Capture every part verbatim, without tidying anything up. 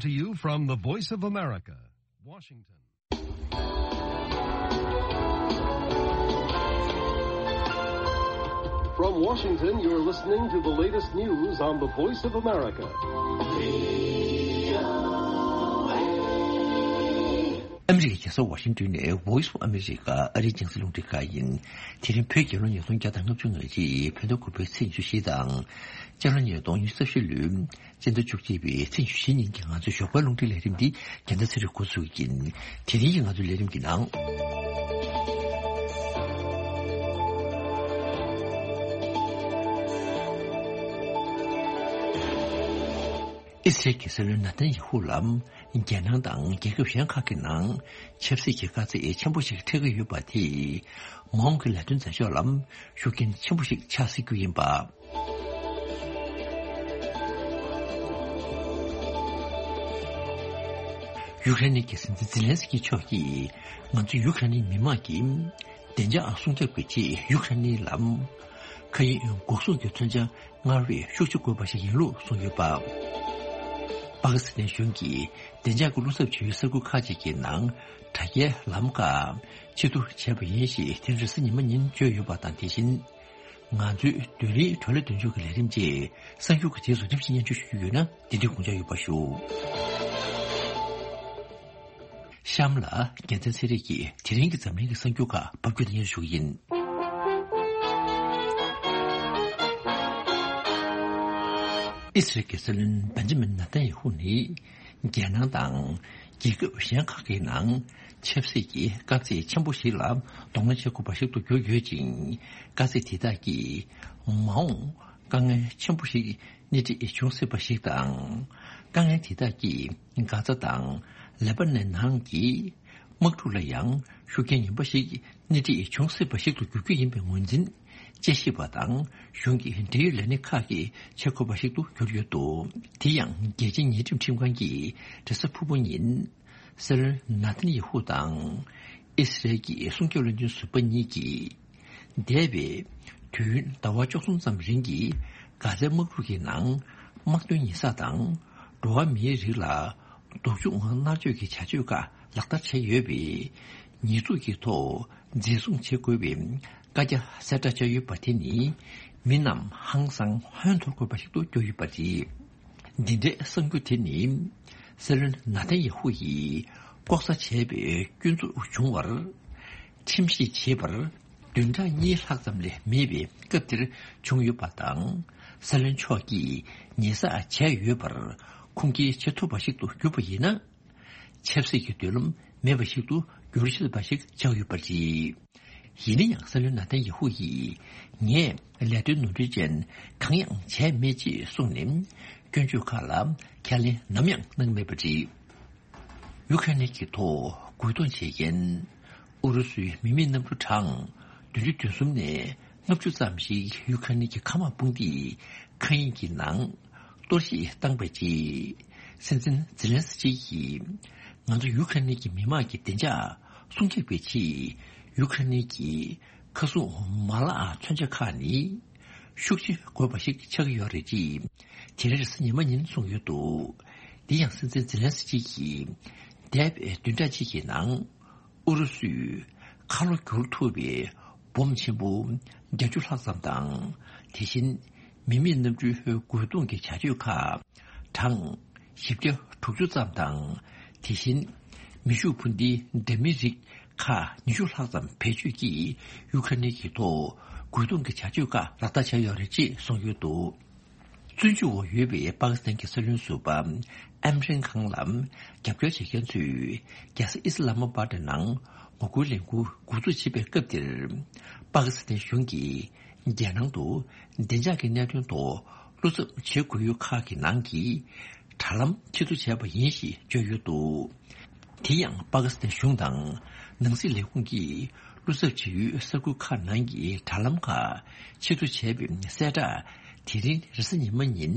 To you from the Voice of America, Washington. From Washington, you're listening to the latest news on the Voice of America. ཨ་མི་རི་ཀའི་རྒྱལ་ས་ཝ་ཤིང་ཏོན་ནས་Voice of America ཨ་རིའི་རྒྱང་སྲིང་རླུང་འཕྲིན་ཁང་ཡིན། དེ་རིང་བོད་རྒྱལ་ལོ་ཉིས་སྟོང་བརྒྱ་དང་ལྔ་བཅུ་ང་གཅིག་བོད་ཟླ་དགུ་པའི་ཚེས་ཉི་ཤུ་རྩ་བཞི་དང་། སྤྱི་ལོ་ཉིས་སྟོང་ཉི་ཤུ་རྩ་བཞི་ལོའི་སྤྱི་ཟླ་བཅུ་གཅིག་པའི་ཚེས་ཉི་ཤུ་བཞི་ཉིན་གྱི་ང་ཚོའི་ཞོགས་པའི་རླུང་འཕྲིན་ལས་རིམ་འདི་རྒྱལ་མཚན་ཚེ་རིང་འགོ་འཛུགས་ཀྱིན། དེ་རིང་གི་ང་ཚོའི་ལས་རིམ་གྱི་ནང་། ཨི་སི་རལ་གྱི་སྲིད་བློན་ནཱ་ཐན་ཡ་ཧུ་ལ་རྒྱལ་ནང་དང་རྒྱལ་ཁབ་གཞན་ཁག་གི་ནང་ཆབ་སྲིད་ཀྱི་དཀའ་ཚེགས་ཆེན་པོ་ཞིག་འཕྲད་ཀྱི་ཡོད་པ་དེས་མ་འོངས་ཀྱི་ལས་དོན་མཛད་ཕྱོགས་ལ་ཤུགས་རྐྱེན་ཆེན་པོ་ཞིག་ཆགས་སྲིད་རྒྱུ་ཡིན་པ། ཡུ་ཀེ་རེན་གྱི་སྲིད་འཛིན་ཛི་ལན་སི་ཀི་མཆོག་གིས་ང་ཚོ་ཡུ་ཀེ་རེན་མི་དམངས་ཀྱི་བདེ་འཇགས་སྲུང་སྐྱོབ་ཀྱི་ཆེད་ཡུ་ཀེ་རེན་ལ་མཁའ་དབྱིངས་འགོག་སྲུང་གི་མཚོན་ཆ་སྔར་བས་ཤུགས་ཆེ་དགོས་པ་ཞིག་ཡིན་ལུགས་གསུངས་ཡོད་པ། པ་ཀི་སི་ཐན་གཞུང་གིས་བདེ་འཇགས་ཀྱི་བློ་འཚབ་བྱེད་ཡུལ་ས་ཁུལ་ཁག་ཅིག་གི་ནང་དྲ་རྒྱའི་ལམ་ཁ་ཕྱིར་བསྡུ་བྱས་པ་ཡིན་ཞེས་དེ་རིང་རེས་གཟའ་ཉི་མ་ཉིན་བརྗོད་ཡོད་པ་དང་། དེ་བཞིན་ང་ཚོའི་བདུན་རེའི་བགྲོ་གླེང་མདུན་ལྕོག་གི་ལས་རིམ་བཅས་གསར་འགྱུར་གྱི་རྗེས་སུ་རིམ་བཞིན་སྙན་སྒྲོན་ཞུ་རྒྱུ་ཡོད་ན་འདི་དུས་དགོངས་འཇགས་ཡོད་པ་ཞུ། གཤམ་ལ་རྒྱལ་མཚན་ཚེ་རིང་གིས་དེ་རིང་གི་འཛམ་གླིང་གི་གསར་འགྱུར་ཁག་ཕབ་སྒྱུར་སྙན་ཞུ་གི་ཡིན། ཨི་སི་རལ་གྱི་སྲིད་བློན་བེན་ཇ་མིན་ནཱ་ཐན་ཡ་ཧུ་ནི་རྒྱལ་ནང་དང་རྒྱལ་ཁབ་གཞན་ཁག་གི་ནང་ཆབ་སྲིད་ཀྱི་དཀའ་ཚེགས་ཆེན་པོ་ཞིག་ལ་གདོང་ལེན་བྱེད་དགོས་པ་ཞིག་ཏུ་གྱུར་ཡོད་ཅིང་། དཀའ་ཚེགས་དེ་དག་གིས་མ་འོངས་དཀའ་ངལ་ཆེན་པོ་ཞིག་སྣེ་ཁྲིད་འབྱུང་སྲིད་པ་ཞིག་དང་། དཀའ་ངལ་དེ་དག་གིས་གྷ་ཛ་དང་ལེ་པ་ནན་ནང་གི་དམག་འཁྲུག་ལ་ཡང་ཤུགས་རྐྱེན་ངན་པ་ཞིག་སྣེ་ཁྲིད་འབྱུང་སྲིད་པ་ཞིག་ཏུ་འགྱུར་རྒྱུ་ཡིན་པའི་ངོས་འཛིན་དཔྱད་ཞིབ་པ་དང་གཞུང་གི་འབྲེལ་ཡོད་ལས་སྣེ་ཁག་གིས་བྱེད་དགོས་པ་ཞིག་ཏུ་གྱུར་ཡོད་འདུག་དེ་ཡང་རྒྱལ་སྤྱིའི་ཉེས་ཁྲིམས་ཁྲིམས་ཁང་གིས་རེས་གཟའ་ཕུར་བུ་ཉིན་སྲིད་བློན་ནཱ་ཐན་ཡ་ཧུ་དང་ཨི་སི་རལ་གྱི་སྲུང་སྐྱོབ་བློན་ཆེན་ཟུར་པ་གཉིས་ཀྱིས། འདས་པའི་དུས་ཡུན་ཟླ་བ་བཅུ་གསུམ་ཙམ་རིང་གི་གྷ་ཛའི་དམག་འཁྲུག་གི་ནང་དམག་དོན་ཉེས་བསགས་དང་འགྲོ་བ་མིའི་རིགས་ལ་སྡུག་སྦྱོང་མནར་གཅོད་ཀྱི་བྱ་སྤྱོད་ཁག་ལག་བསྟར་བྱས་ཡོད་པས། ཉེས་འཛུགས་ཀྱི་ཐོག་འཛིན་བཟུང་བྱེད་དགོས་པའི་བཀའ་རྒྱ་གསལ་བསྒྲགས་བྱས་ཡོད་པ་དེ་ནི་མི་རྣམས་ཧང་སང་ཧོན་འཐོར་དགོས་པ་ཞིག་ཏུ་གྱུར་ཡོད་པ་རེད། འདི་འདྲའི་གསར་འགྱུར་དེ་ནི་སྲིད་བློན་ནཱ་ཐན་ཡ་ཧུ་ཡིས་ལྐོག་ཟ་བྱས་པའི་སྐྱོན་འཛུགས་བྱུང་བར་ཁྲིམས་ཞིབ་བྱེད་པར་བདུན་ཕྲག་གཉིས་ལྷག་ཙམ་ལས་མེད་པའི་སྐབས་དེར་བྱུང་ཡོད་པ་དང་། སྲིད་བློན་མཆོག་གིས་ཉེས་བསགས་བྱས་ཡོད་པར་ཁུངས་སྐྱེལ་བྱེད་ཐུབ་པ་ཞིག་ཏུ་གྱུར་པ་ཡིན་ན། ཆབ་སྲིད་ཀྱི་མདུན་ལམ་མེད་པ་ཞིག་ཏུ་འགྱུར་སྲིད་པ་ཞིག་ཆགས་ཡོད་པ་རེད། ཡིན་ན་ཡང་སྲིད་བློན་ནཱ་ཐན་ཡ་ཧུ་ཡིས་ངས་ལས་དོན་ནོར་འཁྲུལ་ཅན་གང་ཡང་བྱས་མེད་ཅེས་གསུངས་ནས་སྐྱོན་བརྗོད་ཁག་ལ་ཁས་ལེན་ནམ་ཡང་གནང་མེད་པ་རེད། ཡུ་ཁ་ནི་གི་ཐོག་རྒོལ་རྡུང་བྱེད་མཁན་ཨུ་རུ་སུའི་མི་མེད་གནམ་གྲུ་གྲངས་བདུན་ཅུ་དོན་གསུམ་ནས་ལྔ་བཅུ་ཙམ་ཞིག་ཡུ་ཁ་ནི་གི་མཁའ་དམག་དཔུང་སྡེའི་མཁའ་དབྱིངས་ཀྱི་ནང་གཏོར་བཤིག་བཏང་པའི་རྗེས། སྲིད་འཛིན་ཛི་ལན་སི་ཀི་ཡིས་ང་ཚོ་ཡུ་ཁ་ནི་གི་མི་དམངས་ཀྱི་བདེ་འཇགས་སྲུང་སྐྱོབ་ཀྱི་ཆེད་ཡུ་ཁ་ནི་གི་མཁའ་སྲུང་མ་ལག་མཚོན་ཆ་ཁག་ནི་ཤུགས་ཆེ་དགོས་པ་ཞིག་ཆགས་ཀྱི་ཡོད་རེད་ཅེས་དེ་རིང་རེས་གཟའ་ཉི་མ་ཉིན་གསུངས་ཡོད་འདུག་དེ་ཡང་སྲིད་འཛིན་ཛི་ལན་སི་ཀི་ཡིས་འདས་པའི་བདུན་ཕྲག་གཅིག་གི་ནང་ཨུ་རུ་སུས་ཁ་ལོ་བསྒྱུར་ཐུབ་པའི་སྦོམ་ཆེན་པོ་བརྒྱད་ཅུ་ལྷག་ཙམ་དང་། དེ་བཞིན་མི་མེད་གནམ་གྲུའི་རྒོལ་རྡུང་གི་བྱ་སྤྱོད་ཁག་གྲངས་བཞི་བརྒྱ་དྲུག་ཅུ་ཙམ་དང་། དེ་བཞིན་མེ་ཤུགས་འཕུར་མདེལ་འདྲ་མིན་རིགས་ཁག་ཉི་ཤུ་ལྷག་ཙམ་བེད་སྤྱོད་ཀྱིས་ཡུ་ཁ་ནི་གི་ཐོག་རྒོལ་རྡུང་གི་བྱ་སྤྱོད་ཁག་ལག་བསྟར་བྱས་ཡོད་རེད་ཅེས་གསུངས་ཡོད་འདུག་བཙོན་འཇུག་འོག་ཡོད་པའི་པ་ཀི་སི་ཐན་གྱི་སྲིད་བློན་ཟུར་པ་ཨིམ་རན་ཁཱན་ལ་རྒྱབ་སྐྱོར་བྱེད་མཁན་ཚོས་རྒྱལ་ས་ཨི་སི་ལ་མ་པཱ་ཏི་ནང་ངོ་རྒོལ་ལས་འགུལ་འགོ་འཛུགས་བྱེད་པའི་སྐབས་དེར། པ་ཀི་སི་ཐན་གཞུང་གིས་རྒྱལ་ནང་དུ་བདེ་འཇགས་ཀྱི་གནད་དོན་ཐོག་བློ་འཚབ་བྱེད་དགོས་ཡུལ་ཁག་གི་ནང་གི་དྲ་ལམ་ཕྱིར་བསྡུ་བྱས་པ་ཡིན་ཞེས་བརྗོད་ཡོད་འདུག་དེ་ཡང་པ་ཀི་སི་ཐན་གཞུང་དང་ནང་སྲིད་ལས་ཁུངས་ཀྱིས་བློ་འཚབ་བྱེད་ཡུལ་ས་ཁུལ་ཁག་ནང་གི་དྲ་ལམ་ཁག་ཕྱིར་བསྡུ་བྱས་པའི་གསལ་བསྒྲགས་དེ་རིང་རེས་གཟའ་ཉི་མ་ཉིན་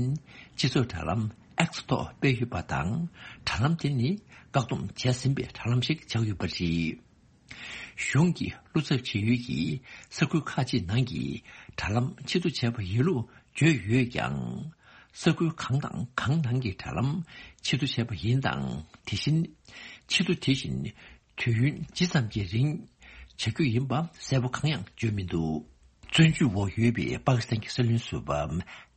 སྤྱི་ཚོགས་དྲ་ལམ་ཨེགས་ཐོག་སྤེལ་ཡོད་པ་དང་། དྲ་ལམ་དེ་ནི་བཀག་སྡོམ་བྱས་ཟིན་པའི་དྲ་ལམ་ཞིག་ཆགས་ཡོད་པ་རེད། གཞུང་གིས་བློ་འཚབ་བྱེད་ཡུལ་གྱི་ས་ཁུལ་ཁག་ཅིག་ནང་གི་དྲ་ལམ་ཕྱིར་བསྡུ་བྱས་པ་ཡིན་ལུགས་བརྗོད་ཡོད་ཀྱང་། ས་ཁུལ་གང་དང་གང་ནང་གི་དྲ་ལམ་ཕྱིར་བསྡུ་བྱས་པ་ཡིན་དང་། དེ་བཞིན་ཕྱིར་བསྡུ་དེ་བཞིན་དུས་ཡུན་ཇི་ཙམ་གྱི་རིང་བྱ་རྒྱུ་ཡིན་པ་གསལ་པོ་གང་ཡང་བརྗོད་མི་འདུག། བཙོན་འཇུག་འོག་ཡོད་པའི་པ་ཀི་སི་ཐན་གྱི་སྲིད་བློན་ཟུར་པ་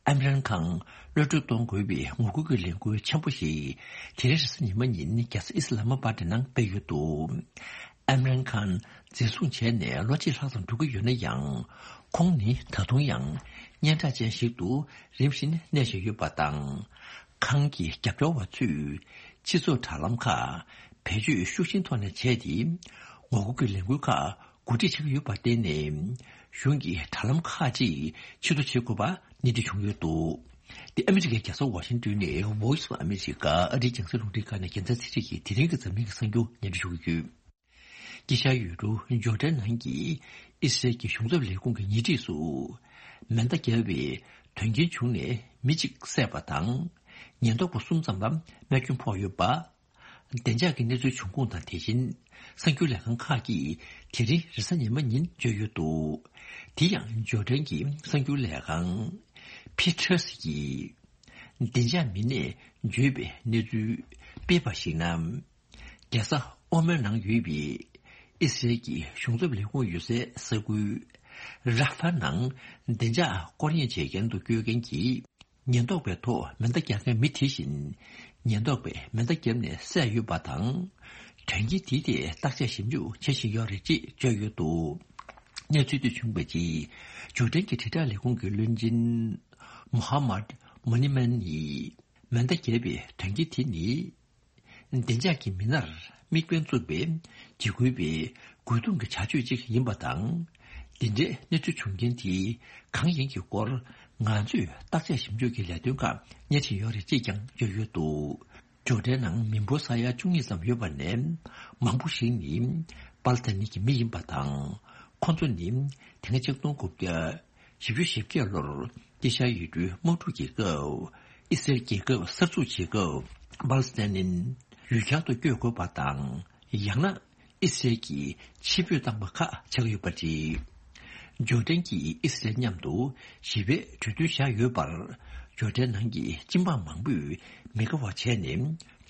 ཨིམ་རན་ཁཱན་གློད་བཀྲོལ་གཏོང་དགོས་པའི་ངོ་རྒོལ་གྱི་ལས་འགུལ་ཆེན་པོ་ཞིག་དེ་རིང་རེས་གཟའ་ཉི་མ་ཉིན་རྒྱལ་ས་ཨི་སི་ལ་མ་པཱ་ཏི་ནང་སྤེལ་ཡོད་འདུག། ཨིམ་རན་ཁཱན་འཛིན་བཟུང་བྱས་ནས་ལོ་གཅིག་ལྷག་ཙམ་འགྲོ་གི་ཡོད་ན་ཡང་། ཁོང་ནི་ད་དུང་ཡང་སྙན་གྲགས་ཅན་ཞིག་ཏུ་རིམ་བཞིན་གནས་བཞིན་ཡོད་པ་དང་། ཁཱན་གྱི་རྒྱབ་སྐྱོར་བ་ཚོས་སྤྱི་ཚོགས་དྲ་ལམ་ཁག་བེད་སྤྱོད་ཤུགས་ཆེན་ཐོག་ནས་བྱས་ཏེ། ངོ་རྒོལ་གྱི་ལས་འགུལ་ཁག་གོ་སྒྲིག་བྱེད་ཀྱི་ཡོད་པར་བརྟེན་ནས། གཞུང་གིས་དྲ་ལམ་ཁག་ཅིག་ཕྱིར་བསྡུ་བྱེད་དགོས་པ་གནད་འགག་བྱུང་ཡོད་འདུག། དེ་ཨ་མི་རི་ཀའི་རྒྱལ་ས་ཝ་ཤིང་ཏོན་ནས་Voice of America ཨ་རིའི་རྒྱང་སྲིང་རླུང་འཕྲིན་ཁང་ནས་རྒྱལ་མཚན་ཚེ་རིང་གིས་དེ་རིང་གི་འཛམ་གླིང་གི་གསར་འགྱུར་སྙན་སྒྲོན་ཞུ་གི་ཡོད། དཀྱིལ་ཤར་ཡུལ་གྲུ་ཇོར་ཌན་ནང་གི་ཨི་སི་རལ་གྱི་གཞུང་ཚབ་ལས་ཁུངས་ཀྱི་ཉེ་འཁྲིས་སུ་མེ་མདའ་བརྒྱབ་པའི་དོན་རྐྱེན་བྱུང་ནས་མི་གཅིག་བསད་པ་དང་། ཉེན་རྟོག་པ་གསུམ་ཙམ་ལ་རྨས་སྐྱོན་ཕོག་ཡོད་པ། བདེ་འཇགས་ཀྱི་གནས་ཚུལ་བྱུང་ཁུངས་དང་། དེ་བཞིན་གསར་འགྱུར་ལས་ཁང་ཁག་གིས་དེ་རིང་རེས་གཟའ་ཉི་མ་ཉིན་བརྗོད་ཡོད་འདུག། དེ་ཡང་ཇོར་ཌན་གྱི་གསར་འགྱུར་ལས་ཁང་ཕི་ཊར་སི་ཡིས་བདེ་འཇགས་མི་སྣས་བརྗོད་པའི་གནས་ཚུལ་སྤེལ་བར་གཞིགས་ན། རྒྱལ་ས་ཨོ་མན་ནང་ཡོད་པའི་ཨི་སི་རལ་གྱི་གཞུང་ཚབ་ལས་ཁུངས་ཡོད་སའི་ས་ཁུལ་རཱ་ཧྥ་ནང་བདེ་འཇགས་སྐོར་གཡེང་བྱེད་མཁན་དུ་བསྐྱོད་མཁན་གྱི་ཉེན་རྟོག་པའི་ཐོག་མེ་མདའ་རྒྱག་མཁན་མི་དེ་བཞིན་ཉེན་རྟོག་པས་མེ་མདའ་བརྒྱབ་ནས་བསད་ཡོད་པ་དང་། དོན་རྐྱེན་དེའི་ཐད་བརྟག་དཔྱད་ཞིབ་འཇུག་བྱེད་བཞིན་ཡོད་རེད་ཅེས་བརྗོད་ཡོད་འདུག། གནས་ཚུལ་དེ་བྱུང་བའི་རྗེས། ཇོར་ཌན་གྱི་དྲིལ་བསྒྲགས་ལས་ཁུངས་ཀྱི་བློན་ཆེན་མོ་ཧ་མད་མོ་ནི་མན་ཡིས་མེ་མདའ་བརྒྱབ་པའི་དོན་རྐྱེན་དེ་ནི། བདེ་འཇགས་ཀྱི་མི་སྣར་དམིགས་འབེན་བཙུགས་པའི་འཇིགས་སྐུལ་བའི་རྒོལ་རྡུང་གི་བྱ་སྤྱོད་ཅིག་ཡིན་པ་དང་། འདི་འདྲའི་གནས་ཚུལ་བྱུང་རྐྱེན་དེ་གང་ཡིན་གྱི་སྐོར་ང་ཚོས་བརྟག་དཔྱད་ཞིབ་འཇུག་གི་ལས་དོན་ཁག་གཉེར་བཞིན་ཡོད་རེད་ཅེས་ཀྱང་བརྗོད་ཡོད་འདུག། ཇོར་ཌན་ནང་མི་འབོར་ས་ཡ་བཅུ་གཉིས་ཙམ་ཡོད་པ་ནས་མང་པོ་ཞིག་ནི་པ་ལི་སི་ཐན་གྱི་མི་ཡིན་པ་དང་། ཁོ་ཚོ་ནི་དེ་སྔ་ཆིག་སྟོང་དགུ་བརྒྱ། བཞི་བཅུ་ཞེ་བརྒྱད་ལོར་དཀྱིལ་ཤར་ཡུལ་གྲུའི་དམག་འཁྲུག་གི་སྐབས། ཨི་སི་རལ་རྒྱལ་ཁབ་གསར་འཛུགས་བྱེད་སྐབས། པ་ལི་སི་ཐན་ནི་ཡུལ་གྱར་དུ་བསྐྱོད་དགོས་པ་དང་། ཡང་ན་ཨི་སི་རལ་གྱིས་ཕྱིར་འབུད་བཏང་བ་ཁག་ཆགས་ཡོད་པ་རེད། ཇོར་ཌན་གྱིས་ཨི་སི་རལ་མཉམ་དུ་ཞི་བའི་གྲོས་མཐུན་བཞག་ཡོད་པར། ཇོར་ཌན་ནང་གི་སྤྱི་འབངས་མང་པོས་མི་དགའ་བ་བྱས་ནས།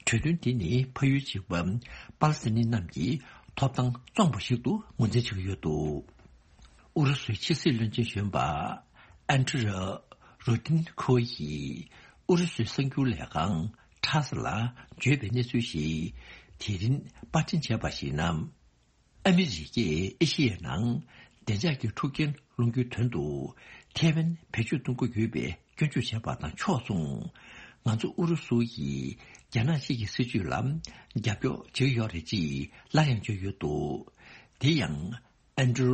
གྲོས་མཐུན་འདི་ནི་ཕ་ཡུལ་གཅིག་པ་པ་ལི་སི་ཐན་རྣམས་ཀྱི་ཐོབ་ཐང་བཙོངས་པ་ཞིག་ཏུ་ངོས་འཛིན་བྱེད་ཀྱི་ཡོད་འདུག། ཨུ་རུ་སུའི་ཕྱི་སྲིད་བློན་ཆེན་གཞོན་པ་ཨན་ཏྲི་རོ་རོ་ཏིན་ཁོ་ཡིས་ཨུ་རུ་སུའི་གསར་འགྱུར་ལས་ཁང་ཊཱ་སི་ལ་བརྗོད་པའི་གནས་ཚུལ་ཞིག་དེ་རིང་པར་སྐྲུན་བྱས་པར་གཞིགས་ན། ཨ་མི་རི་ཀས་ཨེ་ཤི་ཡའི་ནང་བདེ་འཇགས་ཀྱི་འཁྲུག་རྐྱེན་སློང་རྒྱུའི་དོན་དུ་ཐའེ་ཝན་བེད་སྤྱོད་གཏོང་གི་ཡོད་པའི་སྐྱོན་བརྗོད་བྱས་པ་དང་ཕྱོགས་མཚུངས། ང་ཚོ་ཨུ་རུ་སུ་ཡིས་རྒྱ་ནག་གཅིག་གི་སྲིད་བྱུས་ལ་རྒྱབ་སྐྱོར་བྱེད་ཀྱི་ཡོད་རེད་ཅེས་སླར་ཡང་བརྗོད་ཡོད་འདུག། དེ་ཡང་། ཨན་ཏྲུ་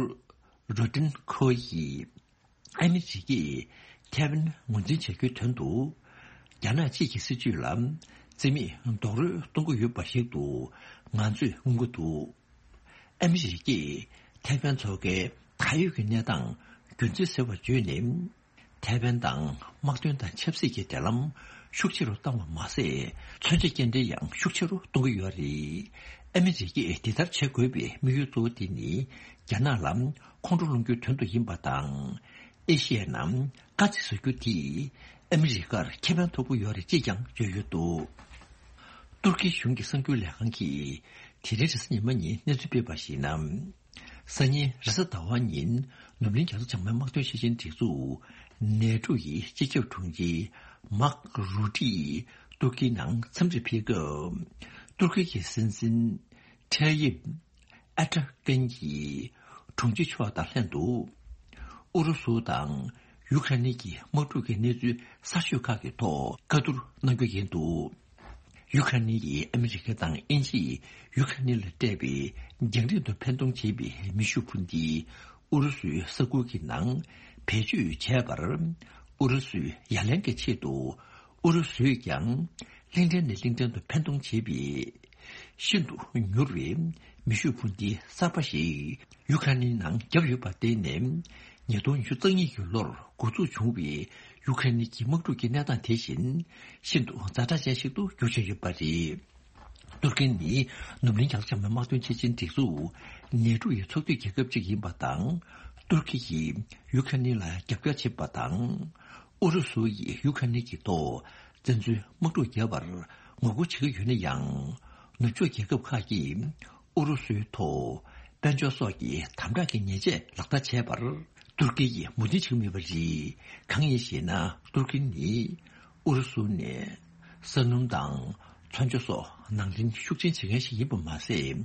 རོ་ཏིན་ཁོ་ཡིས། ཨ་མི་རི་ཀས་ཐའེ་ཝན་ངོས་འཛིན་བྱ་རྒྱུའི་དོན་དུ། རྒྱ་ནག་གཅིག་གི་སྲིད་བྱུས་ལ་རྩིས་མེད་རྡོག་རོལ་གཏོང་གི་ཡོད་པ་ཞིག་ཏུ་ང་ཚོས་མངོན་གྱི་འདུག། ཨ་མི་རི་ཀས་ཐའེ་ཝན་མཚོ་ཁའི་ད་ཡོད་ཀྱི་གནས་སྟངས་རྒྱུན་འཛིན་ཟེར་བ་བརྗོད་ནས། ཐའེ་ཝན་དང་དམག་དོན་དང་ཆབ་སྲིད་ཀྱི་འབྲེལ་ལམ་ཤུགས་ཆེ་རུ་བཏང་བ་མ་ཟད། མཚོན་ཆ་སྐྱེལ་འདྲེན་ཡང་ཤུགས་ཆེ་རུ་གཏོང་གི་ཡོད་རེད། ཨ་མི་རི་ཀས་འདི་ལྟར་བྱེད་དགོས་པའི་དམིགས་ཡུལ་གཙོ་བོ་དེ་ནི་རྒྱ་ནག་ལ་ཁོང་ཁྲོ་སློང་རྒྱུའི་དོན་དུ་ཡིན་པ་དང་། ཨེ་ཤི་ཡའི་ནང་དཀའ་ཚེགས་བཟོ་རྒྱུ་དེས་ཨ་མི་རི་ཀར་ཁེ་ཕན་ཐོབ་ཀྱི་ཡོད་རེད་ཅེས་ཀྱང་བརྗོད་ཡོད་འདུག། ཏུར་ཀི་གཞུང་གི་གསར་འགྱུར་ལས་ཁང་གིས་དེ་རིང་རེས་གཟའ་ཉི་མ་ཉིན་གནས་ཚུལ་སྤེལ་བར་གཞིགས་ན། སང་ཉིན་རེས་གཟའ་ཟླ་བ་ཉིན་ནུབ་གླིང་རྒྱ་མཚོ་བྱང་མའི་དམག་དོན་ཤེས་བཞིན་སྒྲིག་འཛུགས་ནེ་ཏྲོ་ཡི་སྤྱི་ཁྱབ་དྲུང་ཆེ་མཱག་རུ་ཏིས་ཏུར་ཀིའི་ནང་འཚམས་འདྲིར་ཕེབས་སྐབས། ཏུར་ཀི་གི་སྲིད་འཛིན་ཐའི་ཡིབ་ཨེར་ཏོ་གྷན་གྱིས་དྲུང་ཆེ་མཆོག་དང་ལྷན་དུ་ཨུ་རུ་སུ་དང་ཡུ་ཁ་རེ་ནི་གི་དམག་འཁྲུག་གི་གནས་ཚུལ་གསར་ཤོས་ཁག་གི་ཐོག་བཀའ་བསྡུར་གནང་རྒྱུ་ཡིན་འདུག། ཡུ་ཁ་རེ་ནི་ཡིས་ཨ་མི་རི་ཀ་དང་དབྱིན་ཇིས་ཡུ་ཁ་རེ་ནི་ལ་སྤྲད་པའི་རྒྱང་རིང་དུ་འཕེན་གཏོང་བྱེད་པའི་མེ་ཤུགས་འཕུར་མདེལ་ཨུ་རུ་སུའི་ས་ཁུལ་གྱི་ནང་བེད་སྤྱོད་བྱས་པར། ཨུ་རུ་སུས་ཡ་ལན་གྱི་ཆེད་དུ་ཨུ་རུ་སུས་ཀྱང་གླིང་ཕྲན་ནས་གླིང་ཕྲན་དུ་འཕེན་གཏོང་བྱེད་པའི་ཤིན་ཏུ་མྱུར་བའི་མེ་ཤུགས་འཕུར་མདེལ་གསར་པ་ཞིག་ཡུ་ཁ་རེ་ནིའི་ནང་བརྒྱབ་ཡོད་པར་བརྟེན་ནས། ཉིས་སྟོང་ཉི་ཤུ་རྩ་གཉིས་ཀྱི་ལོར་འགོ་འཛུགས་བྱུང་བའི་ཡུ་ཁ་རེ་ནི་གྱི་དམག་འཁྲུག་གི་གནས་སྟངས་དེ་བཞིན་ཤིན་ཏུ་ཛ་དྲག་ཅན་ཞིག་ཏུ་འགྱུར་བཞིན་ཡོད་པ་རེད། ཏུར་ཀི་ནི་ནུབ་གླིང་རྒྱ་མཚོ་བྱང་མའི་དམག་དོན་ཆེད་ཆེན་སྒྲིག་འཛུགས་ནེ་ཏྲོ་ཡི་ཚོགས་འཐུས་རྒྱལ་ཁབ་ཅིག་ཡིན་པ་དང་། ཏུར་ཀི་ཡིས་ཡུ་ཁ་རེ་ནི་ལ་རྒྱབ་སྐྱོར་བྱེད་པ་དང་། ཨུ་རུ་སུ་ཡིས་ཡུ་ཁ་ནི་གི་ཐོག་བཙན་འཛུལ་དམག་འཁྲུག་བརྒྱབ་པར་ངོ་རྒོལ་བྱེད་ཀྱི་ཡོད་ན་ཡང་། ནུབ་ཕྱོགས་རྒྱལ་ཁབ་ཁག་གིས་ཨུ་རུ་སུའི་ཐོག་དཔལ་འབྱོར་སོགས་ཀྱི་དམ་དྲག་གི་ཉེས་ཆད་ལག་བསྟར་བྱས་པར་ཏུར་ཀི་ཡིས་མོས་མཐུན་བྱེད་ཀྱི་མེད་པ་རེད། གང་ཡིན་ཞེ་ན། ཏུར་ཀི་ནི་ཨུ་རུ་སུ་ནས་ས་སྣུམ་དང་ཚོན་མཆོག་སོགས་ནང་འདྲེན་ཤུགས་ཆེན་བྱེད་མཁན་ཞིག་ཡིན་པ་མ་ཟད།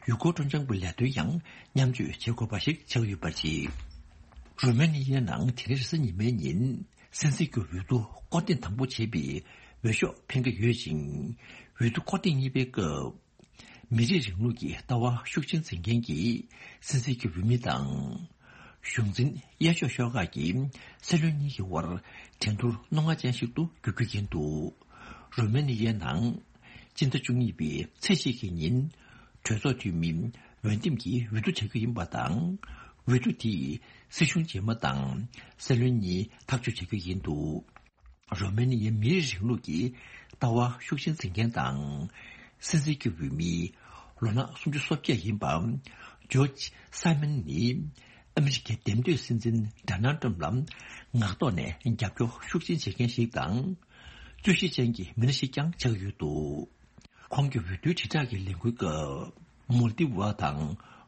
ཡུལ་སྐོར་སྤྲོ་འཆམ་གྱི་ལས་དོན་ཡང་མཉམ་སྤྱོད་བྱེད་དགོས་པ་ཞིག་ཆགས་ཡོད་པ་རེད། རོ་མེ་ནི་ཡའི་ནང་དེ་རིང་རེས་གཟའ་ཉི་མའི་ཉིན། སྲིད་འཛིན་གྱི་འོས་བསྡུ་སྐོར་ཐེངས་དང་པོ་བྱེད་པའི་འོས་ཤོག་འཕེན་གྱི་ཡོད་ཅིང་། འོས་བསྡུ་སྐོར་ཐེངས་གཉིས་པའི་སྐབས། མི་རིགས་རིང་ལུགས་ཀྱི་ལྟ་བ་ཤུགས་ཆེན་འཛིན་མཁན་གྱི་སྲིད་འཛིན་གྱི་འོས་མི་དང་། གཞུང་འཛིན་གཡས་ཕྱོགས་ཤོག་ཁག་གི་སྲིད་བློན་གཉིས་ཀྱི་དབར་འགྲན་བསྡུར་རྣོ་ངར་ཅན་ཞིག་ཏུ་འགྱུར་རྒྱུ་ཡིན་འདུག་རོ་མེ་ནི་ཡའི་ནང་སྤྱི་ཟླ་བཅུ་གཉིས་པའི་ཚེས་གཅིག་གི་ཉིན། གྲོས་ཚོགས་འཐུས་མི་འོས་འདེམས་ཀྱིས་འོས་བསྡུ་བྱ་རྒྱུ་ཡིན་པ་དང་། འོས་བསྡུ་དེས་སྲིད་གཞུང་རྗེས་མ་དང་སྲིད་བློན་གཉིས་ཐག་གཅོད་བྱ་རྒྱུ་ཡིན་འདུག་རོ་མེ་ནི་ཡའི་མིའི་རིང་ལུགས་ཀྱི་ལྟ་བ་ཤུགས་ཆེན་འཛིན་མཁན་དང་། སྲིད་འཛིན་གྱི་འོས་མི་ལོ་ན་སུམ་ཅུ་སོ་བརྒྱད་ཡིན་པ་ཇོརྗ་སཱི་མན་ནི་ཨ་མི་རི་ཀའི་འདེམས་ཐོན་སྲིད་འཛིན་ཌོ་ནལ་ཏྲམ་ལ་ངག་ཐོག་ནས་རྒྱབ་སྐྱོར་ཤུགས་ཆེན་བྱེད་མཁན་ཞིག་དང་། རྩོད་གཞི་ཅན་གྱི་མི་སྣ་ཞིག་ཀྱང་ཆགས་ཡོད་འདུག་ཁོང་གི་འོས་བསྡུའི་དྲིལ་བསྒྲགས་ཀྱི་ལས་འགུལ་སྐབས། མོལ་ཏི་ཝ་དང་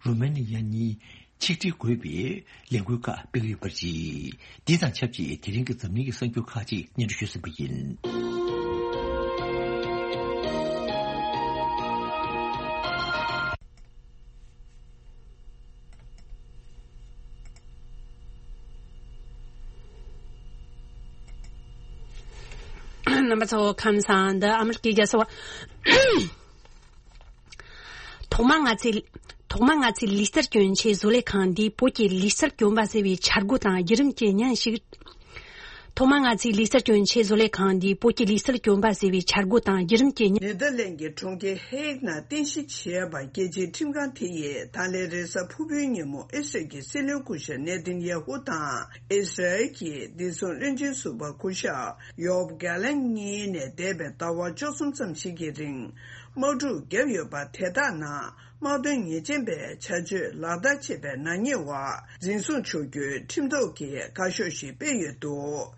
རུ་མེ་ནི་ཡ་གཉིས་ཆིག་སྒྲིལ་དགོས་པའི་ལས་འགུལ་ཁག་སྤེལ་གྱི་ཡོད་པ་རེད། འདི་དང་ཆབས་ཅིག་དེ་རིང་གི་འཛམ་གླིང་གི་གསར་འགྱུར་ཁག་ཅིག་སྙན་སྒྲོན་ཞུས་ཟིན་པ་ཡིན། རྣམ་པ་ཚོ་ཁམས་བཟང་། འདི་ཨ་མི་རི་ཀའི་རྒྱལ་ས་ཝ། ཐོག་མར་ང་ཚོས། ཐོག་མར་ང་ཚོས་ལུས་རྩལ་གྱོན་ཆེད་བཟོ་ལས་ཁང་འདིས་བོད་ཀྱི་ལུས་རྩལ་གྱོན་པ་ཟེར་བའི་འཆར་སྒོ་དང་བརྒྱུད་རིམ་གྱི་བརྙན་ཞིག་ཐོག་མར་ང་ཚོས་ལུས་རྩལ་གྱོན་ཆེད་བཟོ་ལས་ཁང་འདིས་བོད་ཀྱི་ལུས་རྩལ་གྱོན་པ་ཟེར་བའི་འཆར་སྒོ་དང་བརྒྱུད་རིམ་གྱི་བརྙན། ནེ་དར་ལེན་གྱི་གྲོང་ཁྱེར་ཧེག་ནང་རྟེན་གཞི་བྱས་པ་རྒྱལ་སྤྱིའི་ཁྲིམས་ཁང་དེ་ཡིས་ད་ལན་རེས་གཟའ་ཕུར་བུའི་ཉིན་མོ་ཨི་སི་རལ་གྱི་སྲིད་བློན་སྐུ་ཞབས་ནེ་ཐན་ཡ་ཧུ་དང་ཨི་སི་རལ་གྱི་བདེ་སྲུང་བློན་ཆེན་ཟུར་པ་སྐུ་ཞབས་ཡོབ་གྷ་ལན་གཉིས་ནས་འདས་པའི་ཟླ་བ་བཅུ་གསུམ་ཙམ་ཞིག་གི་རིང་དམག་འཁྲུག་བརྒྱབ་ཡོད་པ་དེ་དག་ནང་། དམག་དོན་ཉེས་ཅན་པའི་བྱ་སྤྱོད་ལག་བསྟར་བྱས་པའི་ནག་ཉེས་འོག་འཛིན་བཟུང་བྱ་རྒྱུའི་ཁྲིམས་ཐོག་གི་བཀའ་ཤོག་ཞིག་སྤེལ་ཡོད་འདུག་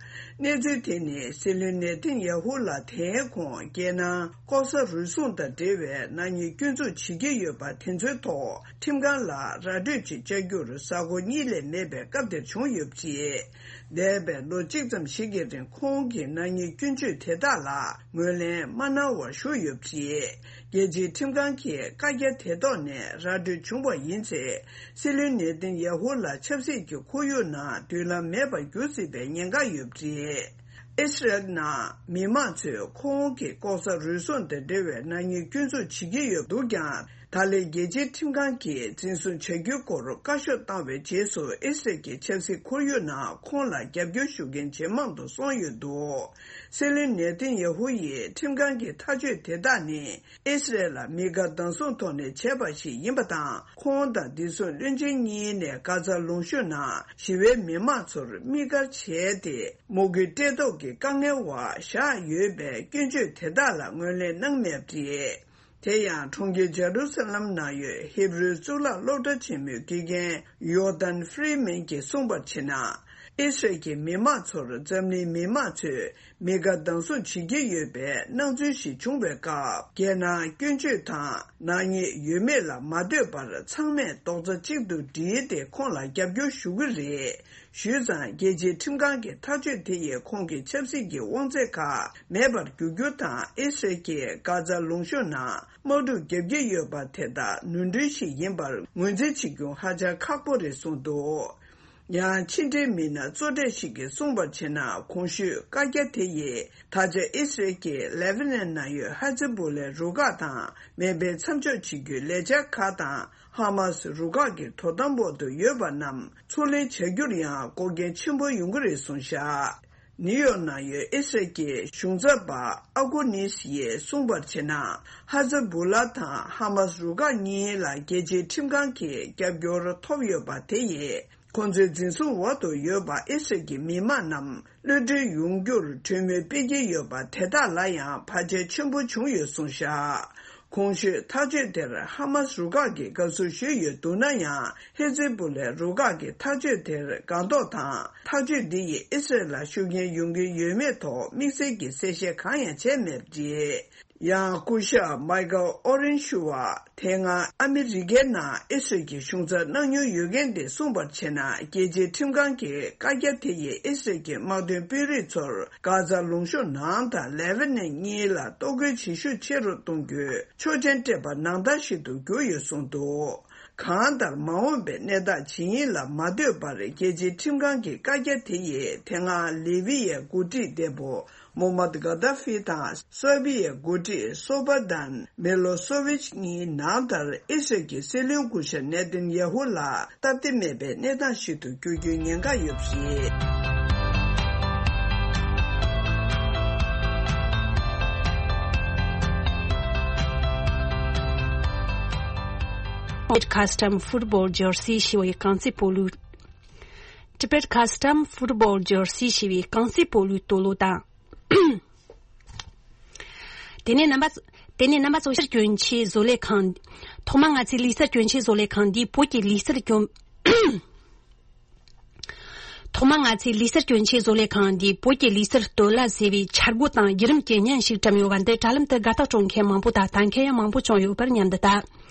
གནས་ཚུལ་དེ་ནི་སྲིད་བློན་ནེ་ཐན་ཡ་ཧུ་ལ་དེའི་གོང་རྒྱལ་ནང་ལྐོག་ཟ་རུལ་སུངས་དང་འབྲེལ་བའི་ནག་ཉེས་སྐྱོན་འཛུགས་བྱེད་ཀྱི་ཡོད་པ་དེ་ཚོའི་ཐོག་ཁྲིམས་ཁང་ལ་ར་སྤྲོད་ཅིག་བཅའ་རྒྱུར་གཟའ་འཁོར་གཉིས་ལས་མེད་པའི་སྐབས་དེར་བྱུང་ཡོད་པ་རེད། འདས་པའི་ལོ་གཅིག་ཙམ་ཞིག་གི་རིང་ཁོང་གིས་ནག་ཉེས་སྐྱོན་བརྗོད་དེ་དག་ལ་ངོས་ལེན་མ་གནང་བར་བཞུགས་ཡོད་པ་རེད། རྒྱལ་སྤྱིའི་ཁྲིམས་ཁང་གིས་བཀའ་རྒྱ་དེ་ཐོག་ནས་ར་སྤྲོད་བྱུང་བ་ཡིན་ཚེ། སྲིད་བློན་ནེ་ཐན་ཡ་ཧུ་ལ་ཆབ་སྲིད་ཀྱི་ཁོར་ཡུག་ནང་མདུན་ལམ་མེད་པར་འགྱུར་སྲིད་པའི་ཉེན་ཁ་ཡོད་པ་རེད། ཨི་སི་རལ་ནང་མི་མང་ཚོས་ཁོང་གིས་ལྐོག་ཟ་རུལ་སུངས་དང་འབྲེལ་བའི་ནག་ཉེས་སྐྱོན་འཛུགས་བྱེད་ཀྱི་ཡོད་འདུག་ཀྱང་། ད་ལན་རྒྱལ་སྤྱིའི་ཁྲིམས་ཁང་གིས་འཛིན་བཟུང་བྱ་རྒྱུའི་སྐོར་བཀའ་ཤོག་བཏང་བའི་རྗེས་སུ་ཨི་སི་རལ་གྱི་ཆབ་སྲིད་ཁོར་ཡུག་ནང་ཁོང་ལ་རྒྱབ་སྐྱོར་ཞུ་མཁན་ཇེ་མང་དུ་སོང་ཡོད་འདུག་སྲིད་བློན་ནེ་ཐན་ཡ་ཧུ་ཡིས་ཁྲིམས་ཁང་གི་ཐག་གཅོད་དེ་དག་ནི་ཨི་སི་རལ་ལ་དམིགས་བཀར་སྡང་ཟུག་ཐོག་ནས་བྱས་པ་ཞིག་ཡིན་པ་དང་། ཁོང་དང་བདེ་སྲུང་བློན་ཆེན་གཉིས་ནས་གྷ་ཛ་ལུང་གཤོང་ནང་ཞི་བའི་མི་མང་ཚོར་དམིགས་བཀར་བྱས་ཏེ། དམག་ཁུལ་སྤྲད་ཐོག་གི་དཀའ་ངལ་འོག་བཞག་ཡོད་པའི་སྐྱོན་བརྗོད་དེ་དག་ལ་ངོས་ལེན་གནང་མེད་པ་རེད། དེ་ཡང་གྲོང་ཁྱེར་ཇེ་རུ་ས་ལམ་ནང་ཡོད་ཧེ་བྷི་རུའི་གཙུག་ལག་སློབ་གྲྭ་ཆེན་མོའི་དགེ་རྒན་ཡོ་ཏན་ཧྥི་རི་མན་གྱིས་གསུངས་པར་བྱས་ན། ཨི་སི་རལ་གྱི་མི་མང་ཚོར་འཛམ་གླིང་མི་མང་ཚོས་དམིགས་བཀར་སྡང་ཟུག་བྱེད་ཀྱི་ཡོད་པའི་སྣང་ཚུལ་ཞིག་བྱུང་བའི་སྐབས། རྒྱལ་ནང་སྐྱོན་བརྗོད་དང་ནག་ཉེས་ཡོད་མེད་ལ་མ་ལྟོས་པར་ཚང་མས་རྡོག་རྩ་གཅིག་ཏུ་བསྒྲིལ་ཏེ་ཁོང་ལ་རྒྱབ་སྐྱོར་ཞུ་གི་རེད། ཞུས་ཙང་རྒྱལ་སྤྱིའི་ཁྲིམས་ཁང་གི་ཐག་གཅོད་དེ་ཡིས་ཁོང་གི་ཆབ་སྲིད་ཀྱི་དབང་ཚད་ཁག་མེད་པར་འགྱུར་རྒྱུ་དང་། ཨི་སི་རལ་གྱིས་གྷ་ཛ་ལུང་གཤོང་ནང་དམག་འཁྲུག་བརྒྱབ་ཀྱི་ཡོད་པ་དེ་དག་ནོར་འཁྲུལ་ཞིག་ཡིན་པར་ངོས་འཛིན་བྱེད་རྒྱུ་ཧ་ཅང་ཁག་པོ་རེད་གསུངས་འདུག་ཡང་ཕྱི་འབྲེལ་མི་སྣ་གཙོ་གྲས་ཤིག་གིས་གསུངས་པར་བྱས་ན། གོང་ཞུས་བཀའ་རྒྱ་དེ་ཡིས་ད་ཆ་ཨི་སི་རལ་གྱིས་ལེ་བྷ་ནན་ནང་ཡོད་ཧ་ཛི་བུ་ལའི་རུ་ཁག་དང་མེ་འཕེན་མཚམས་འཇོག་བྱེད་རྒྱུའི་ལས་འཆར་ཁག་དང་། ཧ་མ་སི་རུ་ཁག་གི་དོ་དམ་འོག་ཏུ་ཡོད་པ་རྣམས་ཚུར་ལེན་བྱ་རྒྱུར་ཡང་འགོག་རྐྱེན་ཆེན་པོ་ཡོང་གི་རེད་གསུངས་བཞག་ནིའུ་ཡོག་ནང་ཡོད་ཨི་སི་རལ་གྱི་གཞུང་ཚབ་པ་ཨ་ཀོ་ནིས་ཡིས་གསུངས་པར་བྱས་ན། ཧ་ཛ་བུ་ལ་དང་ཧ་མ་སི་རུ་ཁག་གཉིས་ལ་རྒྱལ་སྤྱིའི་ཁྲིམས་ཁང་གི་རྒྱབ་སྐྱོར་ཐོབ་ཡོད་པ་དེ་ཡིས། ཁོང་ཚོའི་འཛིན་བཟུང་འོག་ཏུ་ཡོད་པ་ཨི་སི་རལ་གྱི་མི་མང་རྣམས་གློད་གྲོལ་ཡོང་རྒྱུར་གྲོས་མོལ་སྤེལ་གྱི་ཡོད་པ་དེ་དག་ལ་ཡང་བར་ཆད་ཆེན་པོ་བྱུང་ཡོད་གསུངས་བཞག་གོང་ཞུས་ཐག་གཅོད་དེར་ཧ་མཱས་རུ་ཁག་གིས་དགའ་བསུ་ཞུས་ཡོད་འདུག་ན་ཡང་། ཧེ་ཛི་བུ་ལའི་རུ་ཁག་གིས་ཐག་གཅོད་དེར་དགའ་མདོག་དང་། ཐག་གཅོད་འདི་ཡིས་ཨི་སི་རེལ་ལ་ཤུགས་རྐྱེན་ཡོང་གི་ཡོད་མེད་ཐོག་དམིགས་བསལ་གྱི་གསལ་བཤད་གང་ཡང་བྱས་མེད་པ་རེད། ཡང་སྐུ་ཞབས་མའི་ཀལ་ཨོ་རེན་ཤུ་བ། དེ་སྔ་ཨ་མི་རི་ཀའི་ནང་ཨི་སི་རེལ་གྱི་གཞུང་ཚབ་གནང་མྱོང་ཡོད་མཁན་དེས་གསུངས་པར་བྱས་ན། རྒྱལ་སྤྱིའི་ཁྲིམས་ཁང་གི་བཀའ་རྒྱ་དེ་ཡིས་ཨི་སི་རེལ་གྱི་དམག་དོན་དཔོན་རིགས་ཚོར་གྷ་ཛ་ལུང་གཤོང་ནང་དང་ལེ་བྷ་ནན་གཉིས་ལ་གཏོར་རྒོལ་བྱེད་ཤུགས་ཆེ་རུ་གཏོང་རྒྱུའི་ཆོག་མཆན་སྤྲད་པ་ནང་ལྟར་ཞིག་ཏུ་གྱུར་ཡོད་གསུངས་འདུག་གང་ལྟར། མ་འོངས་པའི་གནས་སྟངས་ཇི་ཡིན་ལ་མ་ལྟོས་པར། རྒྱལ་སྤྱིའི་ཁྲིམས་ཁང་གི་བཀའ་རྒྱ་དེ་ཡིས་དེ་སྔ་ལི་བྷི་ཡའི་འགོ་ཁྲིད་འདས་པོ་མོ་མད་གྷ་དཱ་ཧྥི་དང་སར་བྷི་ཡའི་འགོ་ཁྲིད་སོ་བྷ་དན་མི་ལོ་སོ་ཝིཆ་གཉིས་ནང་ལྟར་ཨི་སི་རེལ་གྱི་སྲིད་བློན་སྐུ་ཞབས་ནེ་ཐན་ཡ་ཧུ་ལ་སྟབས་བདེ་མེད་པའི་གནས་སྟངས་ཤིག་ཏུ་འགྱུར་རྒྱུའི་ཉེན་ཁ་ཡོད་པ་རེད། Tibet Custom Football Jersey ཞེས་པའི་རྐང་རྩེད་སྤོ་ལོའི། Tibet Custom Football Jersey ཞེས་པའི་རྐང་རྩེད་སྤོ་ལོའི་སྟོད་ལྭ་དང་། དེ་ནས་རྣམ་པ། དེ་ནས་རྣམ་པ་ཚོ་ལུས་རྩལ་གྱོན་ཆས་བཟོ་ལས་ཁང་། ཐོག་མར་ང་ཚོའི་ལུས་རྩལ་གྱོན་ཆས་བཟོ་ལས་ཁང་འདིས་བོད་ཀྱི་ལུས་རྩལ་གྱོན། ཐོག་མར་ང་ཚོའི་ལུས་རྩལ་གྱོན་ཆས་བཟོ་ལས་ཁང་འདིས་བོད་ཀྱི་ལུས་རྩལ་སྟོད་ལྭ་ཟེར་བའི་འཆར་སྒོ་དང་བརྒྱུད་རིམ་གྱི་བརྙན་ཞིག་བཀྲམ་ཡོད་པ་འདི་དྲ་ལམ་དུ་དགའ་རྟགས་སྤྲོད་མཁན་མང་པོ་དང་ལྟ་མཁན་ཡང་མང་པོ་བྱུང་ཡོད་པར་སྙམ་དུ་ལྟ།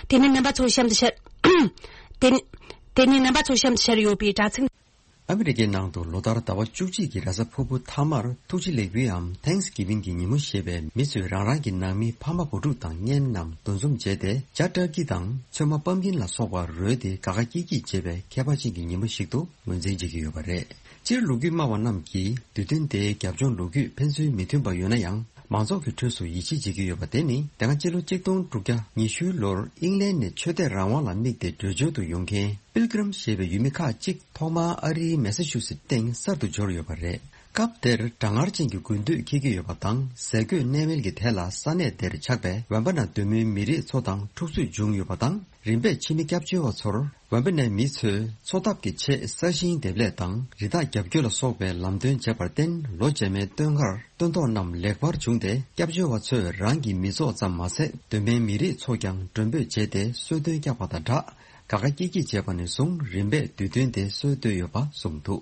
དེ་ནས་རྣམ་པ་ཚོ་གཤམ་དུ་ཤར། དེ་ནས། དེ་ནས་རྣམ་པ་ཚོ་གཤམ་དུ་ཤར་ཡོད་པའི་དྲ་ཚིགས། ཨ་མི་རི་ཀའི་ནང་དུ་ལོ་ལྟར་ཟླ་བ་བཅུ་གཅིག་གི་རེས་གཟའ་ཕུར་བུ་མཐའ་མར་ཐུགས་རྗེ་ལེགས་འབུལ་འམ་Thanksgiving གི་ཉིན་མོ་ཞེས་པའི་མི་ཚོས་རང་རང་གི་ནང་མི་ཕ་མ་བུ་ཕྲུག་དང་གཉེན་རྣམས་འདུ་འཛོམས་བྱས་ཏེ་ཇ་ཊར་ཀི་དང་ཚོད་མ་པམ་ཀིན་ལ་སོགས་པ་རོལ་ཏེ་དགའ་དགའ་སྐྱིད་སྐྱིད་བྱེད་པའི་ཁྱད་པར་ཅན་གྱི་ཉིན་མོ་ཞིག་ཏུ་ངོས་འཛིན་བྱེད་ཀྱི་ཡོད་པ་རེད། སྤྱིར་ལོ་རྒྱུས་སྨྲ་བ་རྣམས་ཀྱིས་དུས་སྟོན་དེའི་རྒྱབ་ལྗོངས་ལོ་རྒྱུས་ཕན་ཚུན་མི་མཐུན་པ་ཡོད་ན་ཡང་། མང་ཚོགས་ཀྱི་ཁྲོད་སུ་ཡིད་ཆེས་བྱེད་ཀྱི་ཡོད་པ་དེ་ནི་དེ་སྔ་སྤྱི་ལོ་གཅིག་སྟོང་དྲུག་བརྒྱ་ཉི་ཤུ་ལོར་ཨིང་ལན་ནས་ཆོས་དད་རང་དབང་ལ་དམིགས་ཏེ་བྲོས་བྱོལ་དུ་ཡོང་མཁན་པིལ་ཀི་རིམ་ཞེས་པའི་ཡུལ་མི་ཁག་ཅིག་ཐོག་མར་ཨ་རིའི་མེ་སཱ་ཆུ་སེ་སྟེང་གསར་དུ་འབྱོར་ཡོད་པ་རེད། སྐབས་དེར་གྲང་ངར་ཅན་གྱི་དགུན་དུས་འཁེལ་གྱི་ཡོད་པ་དང་ཟས་གོས་གནས་མལ་གྱི་ཐད་ལ་ས་གནས་དེར་ཆགས་པའི་ཝན་པ་ན་གདོད་མའི་མི་རིགས་ཚོ་དང་འཁྲུག་རྩོད་བྱུང་ཡོད་པ་དང་། རིམ་པས་ཕྱི་མི་སྐྱབས་བཅོལ་བ་ཚོར་ཝན་པ་ནའི་མི་ཚོས་འཚོ་ཐབས་ཀྱི་ཆེད་ས་ཞིང་འདེབས་ལས་དང་རི་དྭགས་རྒྱབ་སྐྱོར་ལ་སོགས་པའི་ལམ་སྟོན་བྱས་པར་བརྟེན། ལོ་རྗེས་མའི་སྟོན་ཁར་སྟོན་ཐོག་རྣམས་ལེགས་པར་བྱུང་སྟེ། སྐྱབས་བཅོལ་བ་ཚོས་རང་གི་མི་ཚོགས་ཙམ་མ་ཟད། གདོད་མའི་མི་རིགས་ཚོས་ཀྱང་མགྲོན་འབོད་བྱས་ཏེ་གསོལ་སྟོན་བསྐྱངས་པ་དང་སྦྲགས། དགའ་དགའ་སྐྱིད་སྐྱིད་བྱས་པ་ནས་བཟུང་རིམ་པས་དུས་སྟོན་དེ་སྲོལ་བཏོད་ཡོད་པ་གསུངས་འདུག་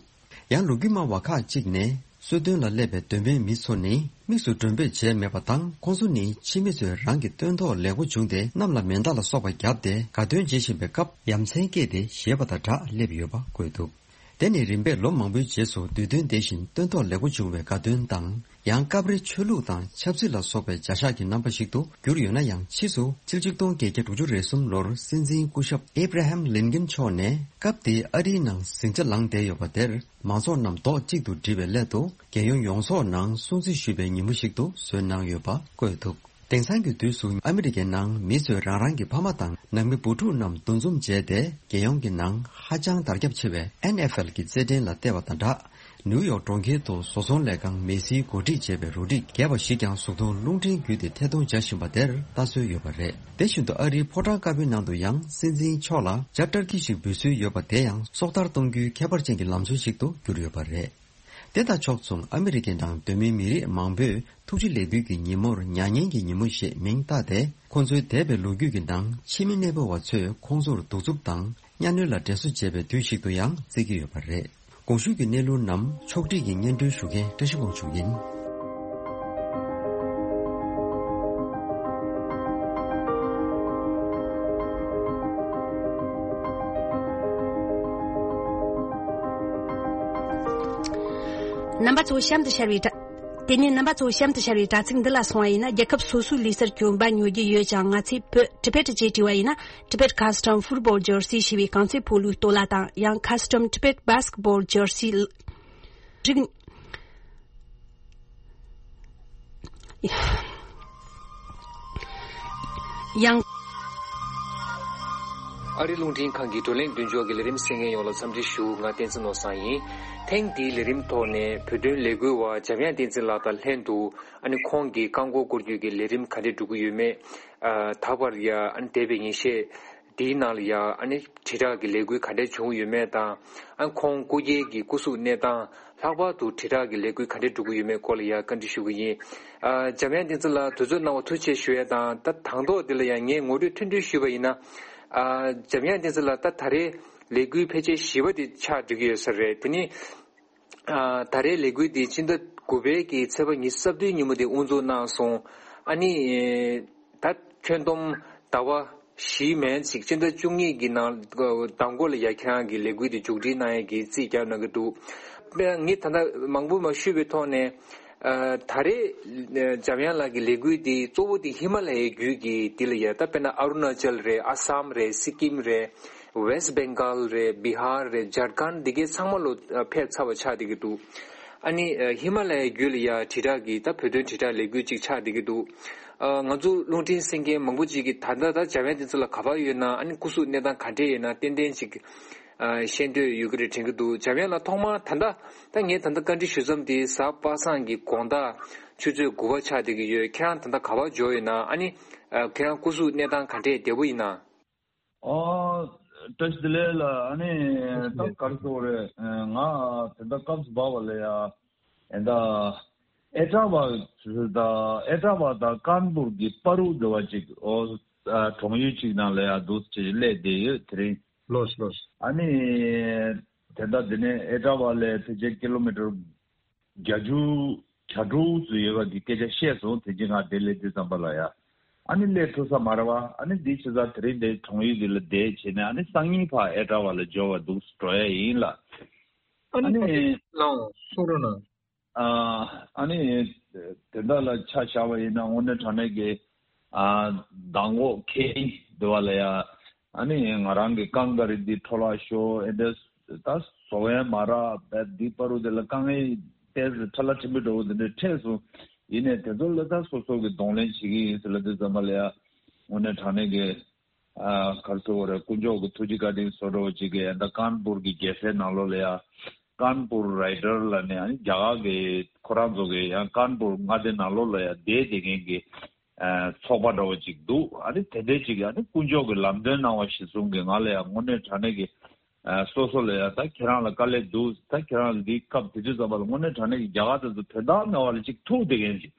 ཡང་ལོ་རྒྱུས་སྨྲ་བ་ཁག་ཅིག་ནས་གསོལ་སྟོན་ལ་སླེབས་པའི་གདོད་མའི་མི་ཚོ་ནི་དམིགས་སུ་མགྲོན་འབོད་བྱས་མེད་པ་དང་། ཁོང་ཚོ་ནི་ཕྱི་མི་ཚོས་རང་གི་སྟོན་ཐོག་ལེགས་པོ་བྱུང་སྟེ་གནམ་ལ་མེ་མདའ་ལ་སོགས་པ་བརྒྱབ་སྟེ་དགའ་སྟོན་བྱེད་བཞིན་པའི་སྐབས་ཡ་མཚན་སྐྱེས་ཏེ་བཞེས་པ་དང་སྦྲགས་སླེབས་ཡོད་པ་བཀོད་འདུག་དེ་ནི་རིམ་པས་ལོ་མང་པོའི་རྗེས་སུ་དུས་སྟོན་དེ་བཞིན་སྟོན་ཐོག་ལེགས་པོ་བྱུང་བའི་དགའ་སྟོན་དང་། ཡང་སྐབས་རེ་ཆོས་ལུགས་དང་ཆབ་སྲིད་ལ་སོགས་པའི་བྱ་གཞག་གི་རྣམ་པ་ཞིག་ཏུ་གྱུར་ཡོད་ན་ཡང་། ཕྱིས་སུ་ཕྱི་ལོ་གཅིག་སྟོང་བརྒྱད་བརྒྱ་དྲུག་ཅུ་རེ་གསུམ་ལོར་སྲིད་འཛིན་སྐུ་ཞབས་ཨེབ་ར་ཧམ་ལིན་ཀན་མཆོག་ནས་སྐབས་དེའི་ཨ་རིའི་ནང་ཟིང་ཆ་ལངས་བསྡད་ཡོད་པ་དེར་མང་ཚོགས་རྣམས་རྡོག་གཅིག་ཏུ་སྒྲིལ་བའི་སླད་དུ་རྒྱལ་ཡོངས་ཡོངས་རྫོགས་ནང་སྲུང་བརྩི་ཞུས་པའི་ཉིན་མོ་ཞིག་ཏུ་བཟོས་གནང་ཡོད་པ་བཀོད་འདུག་དེང་སང་གི་དུས་སུ་ཨ་མི་རི་ཀའི་ནང་མི་ཚོས་རང་རང་གི་ཕ་མ་དང་ནང་མི་བུ་ཕྲུག་རྣམས་འདུ་འཛོམས་བྱས་ཏེ། རྒྱལ་ཡོངས་ཀྱི་ནང་ཧ་ཅང་དར་ཁྱབ་ཆེ་བའི་ཨེན་ཨེཕ་ཨེལ་གྱི་རྩེད་འགྲན་ལ་བལྟས་པ་དང་སྦྲགས། ནིའུ་ཡོག་གྲོང་ཁྱེར་དུ་བཟོ་ཚོང་ལས་ཁང་མེ་སིའི་འགོ་ཁྲིད་བྱས་པའི་རོ་ཌི་རྒས་པ་ཞིག་ཀྱང་གཟུགས་མཐོང་རླུང་འཕྲིན་བརྒྱུད་དེ་ཐད་གཏོང་བྱ་བཞིན་པ་དེར་ལྟ་སྲོལ་ཡོད་པ་རེད། དེ་བཞིན་དུ་ཨ་རིའི་ཕོ་བྲང་དཀར་པོའི་ནང་དུ་ཡང་སྲིད་འཛིན་མཆོག་ལ་ཇ་ཊར་ཀི་ཞིག་འབུལ་སྲོལ་ཡོད་པ་དེ་ཡང་སྲོག་ཐར་གཏོང་རྒྱུའི་ཁྱད་པར་ཅན་གྱི་ལམ་སྲོལ་ཞིག་ཏུ་གྱུར་ཡོད་པ་རེད། དེ་དང་ཕྱོགས་མཚུངས་ཨ་མི་རི་ཀའི་ནང་གདོད་མའི་མི་རིགས་མང་པོས་ཐུགས་རྗེ་ལེགས་འབུལ་གྱི་ཉིན་མོར་མྱ་ངན་གྱི་ཉིན་མོ་ཞེས་མིང་བཏགས་ཏེ། ཁོང་ཚོའི་འདས་པའི་ལོ་རྒྱུས་ཀྱི་ནང་ཕྱི་མི་གནས་སྤོ་བ་ཚོས་ཁོང་ཚོར་གདུག་རྩུབ་དང་གཉའ་གནོན་ལ་དྲན་གསོ་བྱེད་པའི་དུས་ཤིག་ཏུ་ཡང་བརྩི་གི་ཡོད་པ་རེད། གོང་ཞུས་ཀྱི་གནས་ལུགས་རྣམས་ཕྱོགས་སྒྲིག་གིས་སྙན་སྒྲོན་ཞུ་མཁན་བཀྲ་ཤིས་དབང་ཕྱུག་ཡིན། རྣམ་པ་ཚོ་གཤམ་དུ་ཤར་བའི་དྲ། དེ་ནས་རྣམ་པ་ཚོ་གཤམ་དུ་ཤར་བའི་དྲ་ཚིགས་འདི་ལ་སོང་བ་ཡིན་ན། རྒྱལ་ཁབ་སོ་སོའི་ལུས་རྩལ་གྱོན་པ་ཉོ་རྒྱུ་ཡོད་ཀྱང་། ང་ཚོས་བོད་ཊི་བེཊ་ཅེས་བྲིས་པ་ཡིན་ན། Tibet Custom Football Jersey ཞེས་པའི་རྐང་རྩེད་སྤོ་ལོའི་སྟོད་ལྭ་དང་། ཡང་Custom Tibet Basketball Jersey རིགས། ཡང་། ཨ་རི་རླུང་འཕྲིན་ཁང་གི་བགྲོ་གླེང་མདུན་ཅོག་གི་ལས་རིམ་གསན་མཁན་ཡོངས་ལ་འཚམས་འདྲི་ཞུ། ང་བསྟན་འཛིན་ནོར་བཟང་ཡིན། ཐེངས་འདིའི་ལས་རིམ་ཐོག་ནས་བོད་དོན་ལས་འགུལ་བ་འཇམ་དབྱངས་བསྟན་འཛིན་ལགས་དང་ལྷན་དུ། ཨ་ནི་ཁོང་གིས་རྐང་འཁོར་སྐོར་སྐྱོད་ཀྱི་ལས་རིམ་ག་འདྲས་འགྲོ་གི་ཡོད་མེད། ཨ། ད་བར་ཡ། ཨ་ནི་འདས་པའི་ཉིན་ཤས་འདིའི་ནང་ལ་ཡ། ཨ་ནི་དྲིལ་བསྒྲགས་ཀྱི་ལས་འགུལ་ག་འདྲས་བྱུང་ཡོད་མེད་དང་། ཨ། ཁོང་སྐུ་སྒེར་གྱི་སྐུ་གཟུགས་གནས་སྟངས། ལྷག་པར་དུ་དྲིལ་བསྒྲགས་ཀྱི་ལས་འགུལ་ག་འདྲས་འགྲོ་གི་ཡོད་མེད་སྐོར་ལ་ཡང་བཀའ་འདྲི་ཞུ་གི་ཡིན། ཨ། འཇམ་དབྱངས་བསྟན་འཛིན་ལགས་དུས་ཚོད་གནང་བ་ཐུགས་རྗེ་ཆེ་ཞུ་ཡ་དང་། ད་དང་ཐོག་འདི་ལ་ཡང་ངས་ངོ་སྤྲོད་ཐུང་ཐུང་ཞུས་པ་ཡིན་ན། ཨ། འཇམ་དབྱངས་བསྟན་འཛིན་ལགས་ད་ད་རེས་ལས་འགུལ་ཕལ་ཆེར་བཞི་པ་དེ་ཆགས་འགྲོ་གི་ཡོད་ས་རེད། དེ་ནི། ཨ། ད་རེས་ལས་འགུལ་འདི་སྤྱི་ཟླ་དགུ་པའི་གི་ཚེས་པ་ཉི་ཤུ་རྩ་བདུན་ཉིན་མོ་དེ་དབུ་འཛུགས་གནང་སོང་། ཨ་ནི། ད་ཁྱོན་བསྡོམས་ཟླ་བ་བཞི་མན་ཅིག་སྤྱི་ཟླ་བཅུ་གཉིས་ཀྱི་ནང་ཟླ་མགོ་ལ་ཡ་ཁྱེད་རང་གི་ལས་འགུལ་དེ་མཇུག་སྒྲིལ་གནང་ཡས་ཀྱི་རྩིས་རྒྱག་གནང་གི་འདུག། དཔེར་ན་ངས་ད་ལྟ་མང་པོ་མ་ཞུས་པའི་ཐོག་ནས། ཨ། ད་རེས་འཇམ་དབྱངས་ལགས་ཀྱི་ལས་འགུལ་འདི་གཙོ་བོ་དེ་ཧི་མ་ལ་ཡའི་རྒྱུད་ཀྱི་འདི་ལ་ཡ། ད་དཔེར་ན་ཨ་རུ་ན་ཅལ་རེད། ཨ་སམ་རེད། སི་ཀིམ་རེད། ཝེ་སི་བེང་གཱལ་རེད། བི་ཧར་རེད། ཇར་ཁན་འདི་གའི་ཚང་མ་ལོ་ཕེབས་ཚར་བ་ཆགས་བསྡད་ཀྱི་འདུག། ཨ་ནི་ཧི་མ་ལ་ཡའི་རྒྱུད་ལ་ཡ་དྲིལ་བསྒྲགས་ཀྱི་ད་བོད་དོན་དྲིལ་བསྒྲགས་ལས་འགུལ་ཅིག་ཆགས་བསྡད་ཀྱི་འདུག། ཨ། ང་ཚོ་རླུང་འཕྲིན་གསན་མཁན་མང་པོ་ཅིག་གིས་ད་ལྟ་ད་འཇམ་དབྱངས་བསྟན་འཛིན་ལགས་ག་པར་ཡོད་ན། ཨ་ནི་སྐུ་གཟུགས་གནས་སྟངས་ག་འདྲས་ཡོད་ན་ཏན་ཏན་ཅིག། ཨ། ཤེས་འདོད་ཡོད་ཀྱི་རེད་དྲན་གྱི་འདུག། འཇམ་དབྱངས་ལགས་ཐོག་མར་ད་ལྟ་ད་ངས་ད་ལྟ་བཀའ་འདྲི་ཞུ་མཚམས་དེ་གཟའ་པ་སངས་ཀྱི་དགོང་དག་ཆུ་ཚོད་དགུ་པ་ཆགས་བསྡད་ཀྱི་ཡོད། ཁྱེད་རང་ད་ལྟ་ག་པར་འབྱོར་ཡོད་ན། ཨ་ནི། ཨ། ཁྱེད་རང་སྐུ་གཟུགས་གནས་སྟངས་ག་འདྲས་བདེ་པོ་ཡིན་ན། ཨ། བཀྲ་ཤིས་བདེ་ལེགས་ལགས། ཨ་ནི་ད་ག་རེ་ཟེར་དགོས་རེད། ང་དེ་འདྲ་སྐབས་སུ་བབས་པ་ལ་ཡ། ཨེ་ད་ཨེ་ཀྲ་བ་དང་ཨེ་ཀྲ་བ་དང་ཀན་པུར་གྱི་བར་དུ་འདྲ་བ་ཅིག། ཨོ། ཨ། གྲོང་ཡུལ་ཅིག་ནང་ལ་ཡ་འདུག་སེ་སླེབས་བསྡད་ཡོད་དེ་རིང་། ལོས་ལོས། ཨ་ནི་དེ་འདྲ་དེ་ནས་ཨེ་ཀྲ་བ་ལས་ཕལ་ཆེར་ཀི་ལོ་མི་ཊར་བརྒྱད་ཅུ་གྱ་དྲུག་ཙམ་ཡོད་པ་གི་སྐད་ཆ་བཤད་སོང་། དེ་རྗེས་ང་དེ་སླེབས་དུས་ཙམ་པ་ལ་ཡ། ཨ་ནི་སླེབས་ཐུབ་ས་མ་རེད་བ། ཨ་ནི་འདི་བྱས་ཙང་དེ་རིང་འདི་གྲོང་ཡུལ་འདི་ལ་བསྡད་བྱས་ནས། ཨ་ནི་སང་ཉིན་ཕར་ཨེ་ཀྲ་བ་ལ་འབྱོར་བ་འདུག་སེ་འགྲོ་ཡ་ཡིན་ལགས། ཨ་ཨ་ནི་ནི་ལགས་འོང་། གསུང་རོགས་གནང་། ཨ་ཨ་ནི་དེ་འདྲ་ལ་ཆ་བཞག་པ་ཡིན་ན་དངོས་གནས་དྲང་གནས་ཀྱི། ཨ། མདང་དགོང་ཁེ་ཨིན་དེ་བ་ལ་ཡ། ཨ་ནི་ང་རང་གི་རྐང་ག་རི་འདི་འཕྲོ་བརླག་ཤོར། ཨེ་འདྲ་ད་བཟོ་ཡ་མ་རག་པས། འདི་བར་དུ་དེ་ལ་དཀའ་ངལ་ཏོག་ཙམ་ཁྲ་ལ་ཁྲིམས་པའི་འགྲོ་བ་དེ་འདྲ་འཕྲད་སོང་། ཡིན་ནའི་དེ་ཚོ་ལ་ད་སོ་སོ་གི་གདོང་ལེན་བྱེད་ཀྱི་ཡིན་ཟེར་ལབ་དུས་ཙམ་པ་ལ་ཡ། དངོས་གནས་དྲང་གནས་ཀྱི། ཨ། ག་རེ་ཟེར་དགོས་རེད། དཀོན་མཆོག་གི་ཐུགས་རྗེ་བཀའ་དྲིན་གསོལ་འདྲ་བོ་ཅིག་གིས་ད་ཀན་པུར་གྱི་རྒྱལ་སའི་ནང་ལོགས་ལ་ཡ། ཀན་པུར་རའི་ཌར་ལབ་ནས། ཨ་ནི་རྒྱ་གར་གྱི་ཁོ་རང་ཚོ་གི་ཡང་ཀན་པུར་མངའ་སྡེ་ནང་ལོགས་ལ་ཡ་བསྡད་བསྡད་མཁན་གྱི། ཨ། ཚོགས་པ་འདྲ་བོ་ཅིག་འདུག། ཨ་ནི་དེ་འདྲས་ཅིག་གིས་ཨ་ནི་དཀོན་མཆོག་གི་ལམ་སྟོན་གནང་བ་གཞིར་བཟུང་གིས་ང་ལ་ཡང་དངོས་གནས་དྲང་གནས་ཀྱི། ཨ། སོ་སོ་ལ་ཡང་ད་ཁྱེད་རང་ལ་དཀའ་ལས་འདུག། ད་ཁྱེད་རང་ལ་འདིའི་སྐབས་དེ་དུས་ཙམ་པ་ལ་དངོས་གནས་དྲང་གནས་ཀྱི་རྒྱ་གར་དེ་ཚོ་དོན་དག་མེད་པ་ལ་ཅིག་ཐུག་བསྡད་མཁན་ཅིག།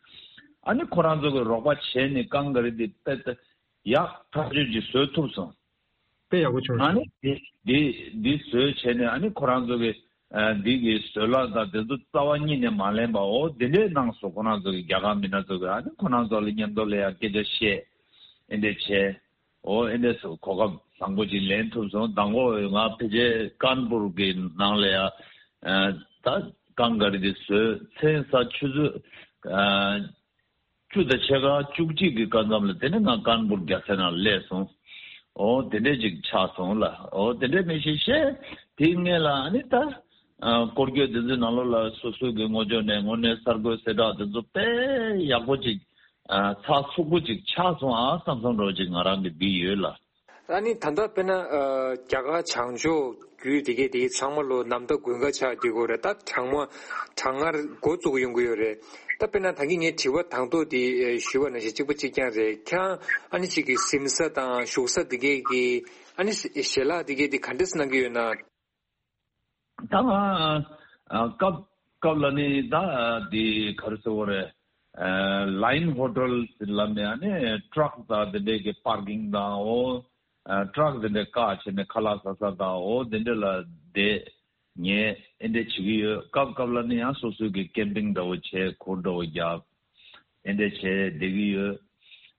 ཨ་ནི་ཁོ་རང་ཚོ་གིས་རོགས་པ་བྱས་ནས་རྐང་ག་རི་འདི་དཔེ་ད་ཡག་ཐག་ཆོད་ཅིག་བཟོས་ཐུབ་སོང་། དཔེ་ཡག་པོ་བྱུང་། ཨ་ནི་འདི་འདི་འདི་བཟོས་བྱས་ནས། ཨ་ནི་ཁོ་རང་ཚོ་གི། ཨ། འདི་གི་བཟོས་གླ་དང་དེ་ཚོ་རྩ་བ་ཉིད་ནས་མ་ལེན་པ། འོ་དེ་འདྲས་གནང་སོང་། ཁོ་རང་ཚོ་གི་རྒྱ་གར་མི་སྣ་ཚོ་གི། ཨ་ནི་ཁོ་རང་ཚོ་ལ་མཉམ་དུ་ལ་ཡ་སྐད་ཆ་བཤད། ཨེ་འདྲས་བྱས། འོ་ཨེ་འདྲས་སོ་གོ་སྐབས་བཟང་པོ་ཅིག་ལེན་ཐུབ་སོང་། མདང་དགོང་ང་ཕལ་ཆེར་ཀན་པུར་གི་ནང་ལ་ཡ། ཨ། ད་རྐང་ག་རི་དེ་བཟོས་མཚན་ས་ཆུ་ཚོད། ཨ། བཅུ་དང་ཕྱེད་ཀ་བཅུ་གཅིག་གི་སྐབས་མཚམས་ལ་དེ་ནས་ང་ཀན་པུར་རྒྱལ་སའི་ནང་སླེབས་སོང་། འོ་དེ་འདྲས་ཅིག་ཆགས་སོང་ལགས། འོ་དེ་འདྲས་མི་ཤེས་ཤེས། དེའི་སྔོན་ལ་ཨ་ནི་ད། ཨ། སྐོར་སྐྱོད་དེ་ཚོའི་ནང་ལོགས་ལ་སོ་སོ་གི་ངོས་ཕྱོགས་ནས་དངོས་གནས་གསར་འགོད་གསལ་བསྒྲགས་དེ་ཚོ་དཔེ་ཡག་པོ་ཅིག། ཨ། ཚགས་ཚུད་པོ་ཅིག་ཆགས་སོང་ཨ་བསམ་བསམ་འདྲ་བོ་ཅིག་ང་རང་གིས་འདི་ཡོད་ལགས། ཨ་ནི་ད་ལྟ་དཔེར་ན། ཨ། རྒྱ་གར་བྱང་ཕྱོགས་རྒྱུད་དེ་གས་དེ་ཚང་མ་ལོ་ནམ་ཟླ་དགུན་ཁ་ཆགས་བསྡད་ཀྱི་ཡོད་རེད། ད་གྲང་མོ་གྲང་ངར་འགོ་བཙུགས་ཡོང་གི་ཡོད་རེད། ད་དཔེར་ན་ད་གིན་ངས་དྲི་བ་དང་ཐོག་དེ་ཞུས་པ་ནང་བཞིན་གཅིག་པ་གཅིག་རྐྱང་རེད། ཁྱེད་རང་ཨ་ནི་གཅིག་གི་གཟིམ་ས་དང་བཞུགས་ས་དེ་གས་ཀྱི་ཨ་ནི་ཞལ་ལག་དེ་གས་དེ་ག་འདྲས་གནང་གི་ཡོད་ན། ད་ང་ཨ་སྐབས་སྐབས་ལ་ནི་ད་དེ་ག་རེ་ཟེར་དགོས་རེད། ཨ། ལ་ཡིན་ཧོ་ཊེལ་ལབ་ནས། ཨ་ནི་ཊག་དང་དེ་འདྲས་ཀྱི་པར་ཀིང་དང་། འོ། ཨ། ཊག་དེ་འདྲས་བཀག་བྱས་ནས་ཁ་ལག་ཟ་ས་དང་། འོ་དེ་འདྲས་ལ་བསྡད་ཉལ་ཨེ་འདྲས་བྱེད་ཀྱི་ཡོད། སྐབས་སྐབས་ལ་ནི་ཡང་སོ་སོའི་གི་ཀེམ་པིང་འདྲ་བོ་བྱས། གུར་འདྲ་བོ་རྒྱབ། ཨེ་འདྲས་བྱས་བསྡད་ཀྱི་ཡོད།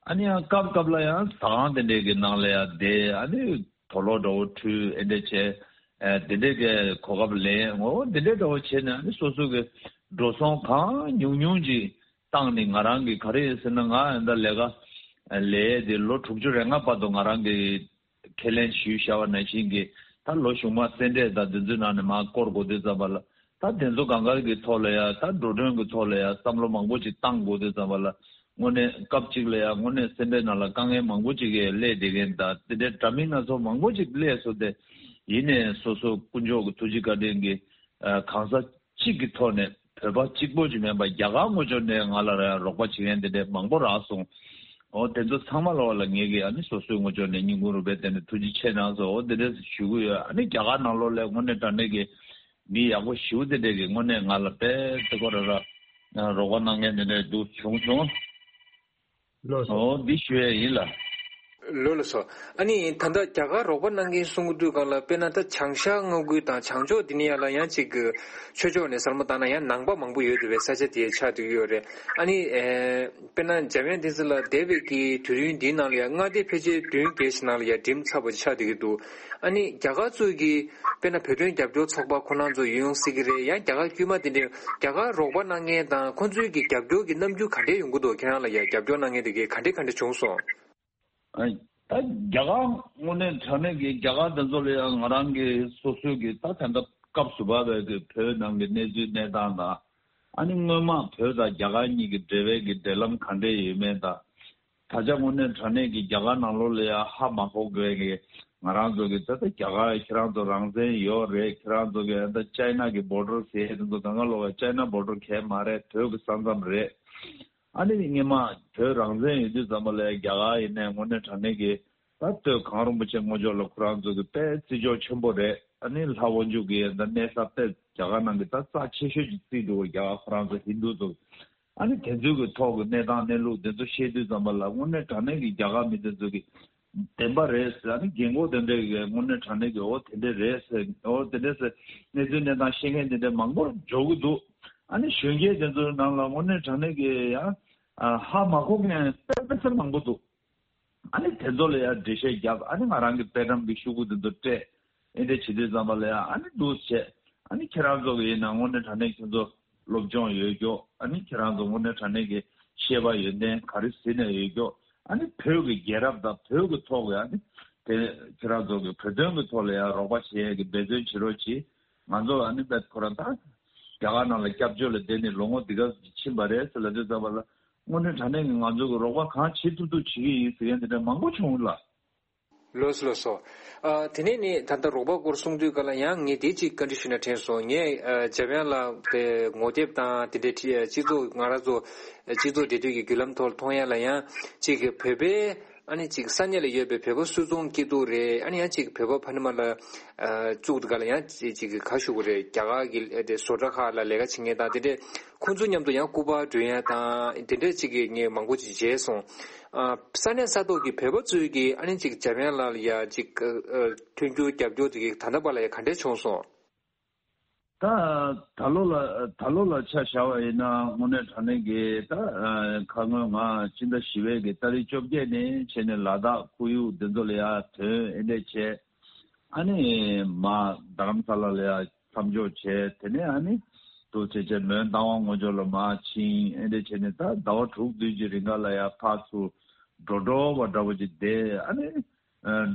ཨ་ནི་ཡང་སྐབས་སྐབས་ལ་ཡང་ཟ་ཁང་དེ་འདྲས་ཀྱི་ནང་ལ་ཡང་བསྡད། ཨ་ནི་དུག་ལོག་འདྲ་བོ་འཁྲུད། ཨེ་འདྲས་བྱས། ཨ། དེ་འདྲས་ཀྱི་གོ་སྐབས་ལེན། འོ་དེ་འདྲས་འདྲ་བོ་བྱས་ནས། ཨ་ནི་སོ་སོ་གི་འགྲོ་སོང་གང་ཉུང་ཉུང་ཅིག་བཏང་ནས། ང་རང་གི་ག་རེ་ཡིན་ཟེར་ན། ང་ཡང་ད་ལས་ཀ་ལས་དེ་ལོ་དྲུག་ཅུ་རེ་ལྔ་བར་དུ་ང་རང་གི་ཁས་ལེན་ཞུས་བཞག་པ་ནང་བཞིན་གྱི། ད་ལོ་གཞུག་མ་སེ་འབྲས་དང་དེ་ཚོའི་ནང་ནས་མར་སྐོར་དགོས་དུས་ཙམ་པ་ལ། ད་དེ་ཚོ་གང་ག་གི་ཐོག་ལ་ཡ། ད་འགྲོ་གྲོན་གྱི་ཐོག་ལ་ཡ་བསམ་བློ་མང་པོ་ཅིག་བཏང་དགོས་དུས་ཙམ་པ་ལ། དངོས་གནས་སྐབས་གཅིག་ལ་ཡ་དངོས་གནས་སེ་འབྲས་ནང་ལ་དཀའ་ངལ་མང་པོ་ཅིག་གིས་སླེབས་བསྡད་མཁན་དང་། དེ་འདྲའི་འདྲ་མིན་སྣ་ཚོགས་མང་པོ་ཅིག་སླེབས་སོང་སྟེ། ཡིན་ནའི་སོ་སོ་དཀོན་མཆོག་གི་ཐུགས་རྗེ་བཀའ་དྲིན་གྱིས། ཨ། གང་ཟག་གཅིག་གི་ཐོག་ནས། བོད་པ་གཅིག་པོ་ཅིག་མིན་པར་རྒྱ་གར་ངོས་ཕྱོགས་ནས་ང་ལ་རོགས་པ་བྱེད་མཁན་དེ་འདྲ་མང་པོ་རག་སོང་། འོ་དེ་ཚོ་ཚང་མ་ལ་བ་ལ་ངེད་ཀྱིས་ཨ་ནི་སོ་སོའི་ངོས་ཕྱོགས་ནས་སྙིང་ཁུང་རུས་པའི་གཏིང་ནས་ཐུགས་རྗེ་ཆེ་གནང་སོང་། འོ་དེ་འདྲ་ཞུ་གི་ཡོད། ཨ་ནི་རྒྱ་གར་ནང་ལོགས་ལ་དངོས་གནས་དྲང་གནས་ཀྱི་ མི་ཡག་པོ་ཞེ་པོ་དེ་འདྲས་ཀྱི་དངོས་གནས་ང་ལ་དཔེ་དེ་ཁོ་ར་ར་རོགས་པ་གནང་མཁན་དེ་འདྲས་འདུག་བྱུང་བྱུང་། ལགས་སོ། ཨོ་འདི་ཞུ་ཡས་ཡིན་ལ། ལགས་ལགས་སོ། ཨ་ནི་ད་ལྟ་རྒྱ་གར་རོགས་པ་གནང་མཁན་གསུང་གི་དུས་སྒང་ལ་དཔེར་ན་ད་བྱང་ཤར་མངའ་ཁུལ་དང་བྱང་ཕྱོགས་འདི་ནས་ཡར་ལ་ཡང་ཅིག་གི་ཆོས་ཕྱོགས་ནས་གསར་མ་བཏང་ན་ཡང་ནང་པ་མང་པོ་ཡོད་འདུག་པའི་ས་ཆ་དེ་ཆགས་བསྡད་ཀྱི་ཡོད་རེད། ཨ་ནི་ཨེ་དཔེར་ན་འཇམ་དབྱངས་བསྟན་འཛིན་ལགས་འདས་པའི་གི་དུས་ཡུན་འདིའི་ནང་ལ་ཡང་མངའ་སྡེ་ཕལ་ཆེར་བདུན་བརྒྱད་ཞིག་ནང་ལ་ཡང་འགྲིམས་ཚར་བ་ཆགས་བསྡད་ཀྱི་འདུག་ཨ་ནི་རྒྱ་གར་ཚོས་ཀྱི་དཔེར་ན་བོད་དོན་རྒྱབ་སྐྱོར་ཚོགས་པ་ཁོ་རང་ཚོ་ཡོང་སྲིད་ཀྱི་རེད། ཡང་རྒྱ་གར་དཀྱུས་མ་དེ་འདྲའི་རྒྱ་གར་རོགས་པ་གནང་མཁན་དང་ཁོ་ཚོའི་གི་རྒྱབ་སྐྱོར་གྱི་རྣམ་འགྱུར་ག་འདྲས་ཡོང་གི་འདུག་ཁྱེད་རང་ལ་ཡང་རྒྱབ་སྐྱོར་གནང་མཁན་དེ་གའི་ག་འདྲས་ག་འདྲས་བྱུང་སོང་། ཨ་ད་རྒྱ་གར་དངོས་གནས་དྲང་གནས་ཀྱི་རྒྱ་གར་དེ་ཚོ་ལ་ཡང་ང་རང་གི་སོ་སོའི་གི་ད་ད་ལྟ་སྐབས་སུ་བབས་པའི་གི་བོད་ནང་གི་གནས་ཚུལ་གནས་སྟངས་དང་། ཨ་ནི་སྔོན་མ་བོད་དང་རྒྱ་གར་གཉིས་ཀྱི་འབྲེལ་བའི་གི་འབྲེལ་ལམ་ག་འདྲས་ཡོད་མེད་དང་། ད་ཆ་དངོས་གནས་དྲང་གནས་ཀྱི་རྒྱ་གར་ནང་ལོགས་ལ་ཡང་ཧ་མ་གོ་དགོས་ཀྱི་ང་རང་ཚོ་གི་ད་ལྟ་རྒྱ་གར་ཁྱེད་རང་ཚོ་རང་བཙན་ཡོད་རེད། ཁྱེད་རང་ཚོ་གི་ད་ཅའི་ན་གི་བོར་ཌར་ཟེར་དེ་ཚོ་གང་ག་ལོག་གི་ཅའི་ན་བོར་ཌར་གས་མ་རེད། བོད་ཀྱི་ས་མཚམས་རེད། ཨ་ནི་སྔོན་མ་བོད་རང་བཙན་ཡོད་དུས་ཙམ་པ་ལ་རྒྱ་གར་ཡིན་ནའི་དངོས་གནས་དྲང་གནས་ཀྱི་ད་སྟོད་གངས་རིན་པོ་ཆེ་ངོས་ཕྱོགས་ལ་ཁོ་རང་ཚོ་གི་དཔེ་བརྩི་འཇོག་ཆེན་པོ་རེད། ཨ་ནི་ལྷ་དབང་ཕྱུག་གི་ད་གནས་ས་དཔེ་རྒྱ་གར་ནང་གི་ད་རྩ་ཆེ་ཤོས་ཀྱི་རྩིས་འདུག་རྒྱ་གར་ཁོ་རང་ཚོ་ཧིན་དུ་ཚོ། ཨ་ནི་དེ་ཚོའི་གི་ཐོག་གི་གནས་སྟངས་གནས་ལུགས་དེ་ཚོ་བཤད་དུས་ཙམ་པ་ལ་དངོས་གནས་དྲང་གནས་ཀྱི་རྒྱ་གར་མི་དེ་ཚོ་གི་བདེན་པ་རེད་ཟེར། ཨ་ནི་རྒན་གོག་དེ་འདྲས་ཀྱི་དངོས་གནས་དྲང་གནས་ཀྱི་འོ་དེ་འདྲས་རེད་ཟེར། འོ་དེ་འདྲས་ཟེར་གནས་ཚུལ་གནས་སྟངས་ཤེས་མཁན་དེ་འདྲས་མང་པོ་འབྱོར་གི་འདུག་ཨ་ནི་གཞོན་སྐྱེས་དེ་ཚོའི་ནང་ལ་དངོས་གནས་དྲང་གནས་ཀྱི་ཡང་ཧ་མ་གོ་མཁན་དཔེ་མི་སྲིད་མང་པོ་འདུག་ཨ་ནི་དེ་ཚོ་ལ་ཡང་འགྲེལ་བཤད་བརྒྱབ། ཨ་ནི་ང་རང་གི་དཔེ་བཀྲམ་གྱི་ཤོག་གུ་དེ་ཚོ་སྤྲད། ཨེ་འདྲ་བྱེད་དུས་ཙམ་པ་ལ་ཡང་ཨ་ནི་འདུག་བྱས། ཨ་ནི་ཁྱེད་རང་ཚོ་གི་ཡིན་ན་དངོས་གནས་དྲང་གནས་ཁྱེད་ཚོ་སློབ་སྦྱོང་ཡོད་ཀྱོག་ཨ་ནི་ཁྱེད་རང་ཚོ་དངོས་གནས་དྲང་གནས་ཀྱི་ཤེས་པ་ཡོན་ཏན་ག་རེ་ཟིན་ནས་ཡོད་ཀྱོག་ཨ་ནི་བོད་ཀྱི་རྒྱལ་རབས་དང་བོད་ཀྱི་ཐོག་གི་ཨ་ནི་དེ་ཁྱེད་རང་ཚོ་གི་བོད་དོན་གྱི་ཐོག་ལ་ཡང་རོགས་པ་བྱེད་ཡས་ཀྱི་འབད་བརྩོན་བྱེད་རོགས་གྱིས། ང་ཚོ་ཨ་ནི་བེད་ཁོ་རང་ད་རྒྱ་གར་ནང་ལ་སྐྱབས་བཅོལ་ལ་བསྡད་ནས་ལོ་ངོ་འདི་ག་ཕྱིན་པ་རེད་ཟེར་ལབ་དུས་ཙམ་པ་ལ་དངོས་གནས་དྲང་གནས་ཀྱི་ང་ཚོ་གི་རོགས་པ་གང་བྱེད་ཐུབ་ཐུབ་བྱེད་ཀྱི་ཡིན་ཟེར་མཁན་དེ་འདྲ་མང་པོ་བྱུང་ལ། ལགས་སོ་ལགས་སོ། ཨ་དེ་ནས་ནི་ད་ལྟ་རོགས་པ་སྐོར་གསུང་དུས་ག་ལ་ཡང་ངས་དེ་གཅིག་བཀའ་འདྲི་ཞུ་ན་དྲན་སོང་། ངས་ཨ་འཇམ་དབྱངས་ལགས་དེ་ངོ་དེབ་དང་དེ་འདྲའི་ཁྲི་སྤྱི་ཚོགས་ང་རང་ཚོ་སྤྱི་ཚོགས་འབྲེལ་མཐུད་ཀྱི་བརྒྱུད་ལམ་ཐོག་ལ་མཐོང་ཡ་ལ་ཡང་གཅིག་གི་བོད་པའི་ཨ་ནི་གཅིག་ས་གནས་ལ་ཡོད་པའི་བོད་པ་སུད་ཚོང་སྐྱིད་སྡུག་རེད། ཨ་ནི་ཡང་གཅིག་བོད་པ་ཕ་ནི་མ་ལ་ཨ་བཙུགས་དུས་ག་ལ་ཡང་གཅིག་གཅིག་གི་ག་ཞུ་དགོས་རེད། རྒྱ་གར་གྱི་ཨ་དེ་བཟོ་གྲྭ་ཁག་ལ་ལས་ཀ་བྱེད་མཁན་དང་དེ་འདྲའི་ཁོང་ཚོ་མཉམ་དུ་ཡང་སྐུ་པར་སྒྲོན་ཡ་དང་དེ་འདྲའི་གཅིག་གི་ངས་མང་པོ་ཅིག་མཇལ་སོང་། ཨ་ས་གནས་ས་ཐོག་གི་བོད་པ་ཚོས་ཀྱིས་ཨ་ནི་ཅིག་འཇམ་དབྱངས་ལགས་ལ་ཡ་ཅིག་ཨ་ཨ་མཐུན་འགྱུར་རྒྱབ་སྐྱོར་དེ་གི་ད་ལྟ་བར་ལ་ཡ་ག་འདྲས་བྱུང་སོང་། ད་ད་ལོ་ལ་ད་ལོ་ལ་ཆ་བཞག་པ་ཡིན་ན་དངོས་གནས་དྲང་གནས་ཀྱི་ད་ཨ་ཁ་སྔོན་ང་སྤྱི་ཟླ་བཞི་པའི་གི་ཏ་རིག་བཅོ་བརྒྱད་ནས་བྱས་ནས་ལ་དྭགས་ཁོར་ཡུག་འདི་ཚོ་ལ་ཡ་ཐོན་ཨེ་འདྲས་བྱས། ཨ་ནི་མ་རྡ་རམ་ས་ལ་ལ་ཡ་མཚམས་འཇོག་བྱས། དེ་ནས་ཨ་ནི་དུ་བྱས་བྱས་མོན་རྟ་དབང་ངོས་ཕྱོགས་ལ་མར་ཕྱིན། ཨེ་འདྲས་བྱས་ནས་ད་ཟླ་བ་དྲུག་བདུན་གྱི་རིང་ག་ལ་ཡ་ཕར་ཚུར་འགྲོ་འགྲོ་བ་འདྲ་བོ་ཅིག་བསྡད། ཨ་ནི་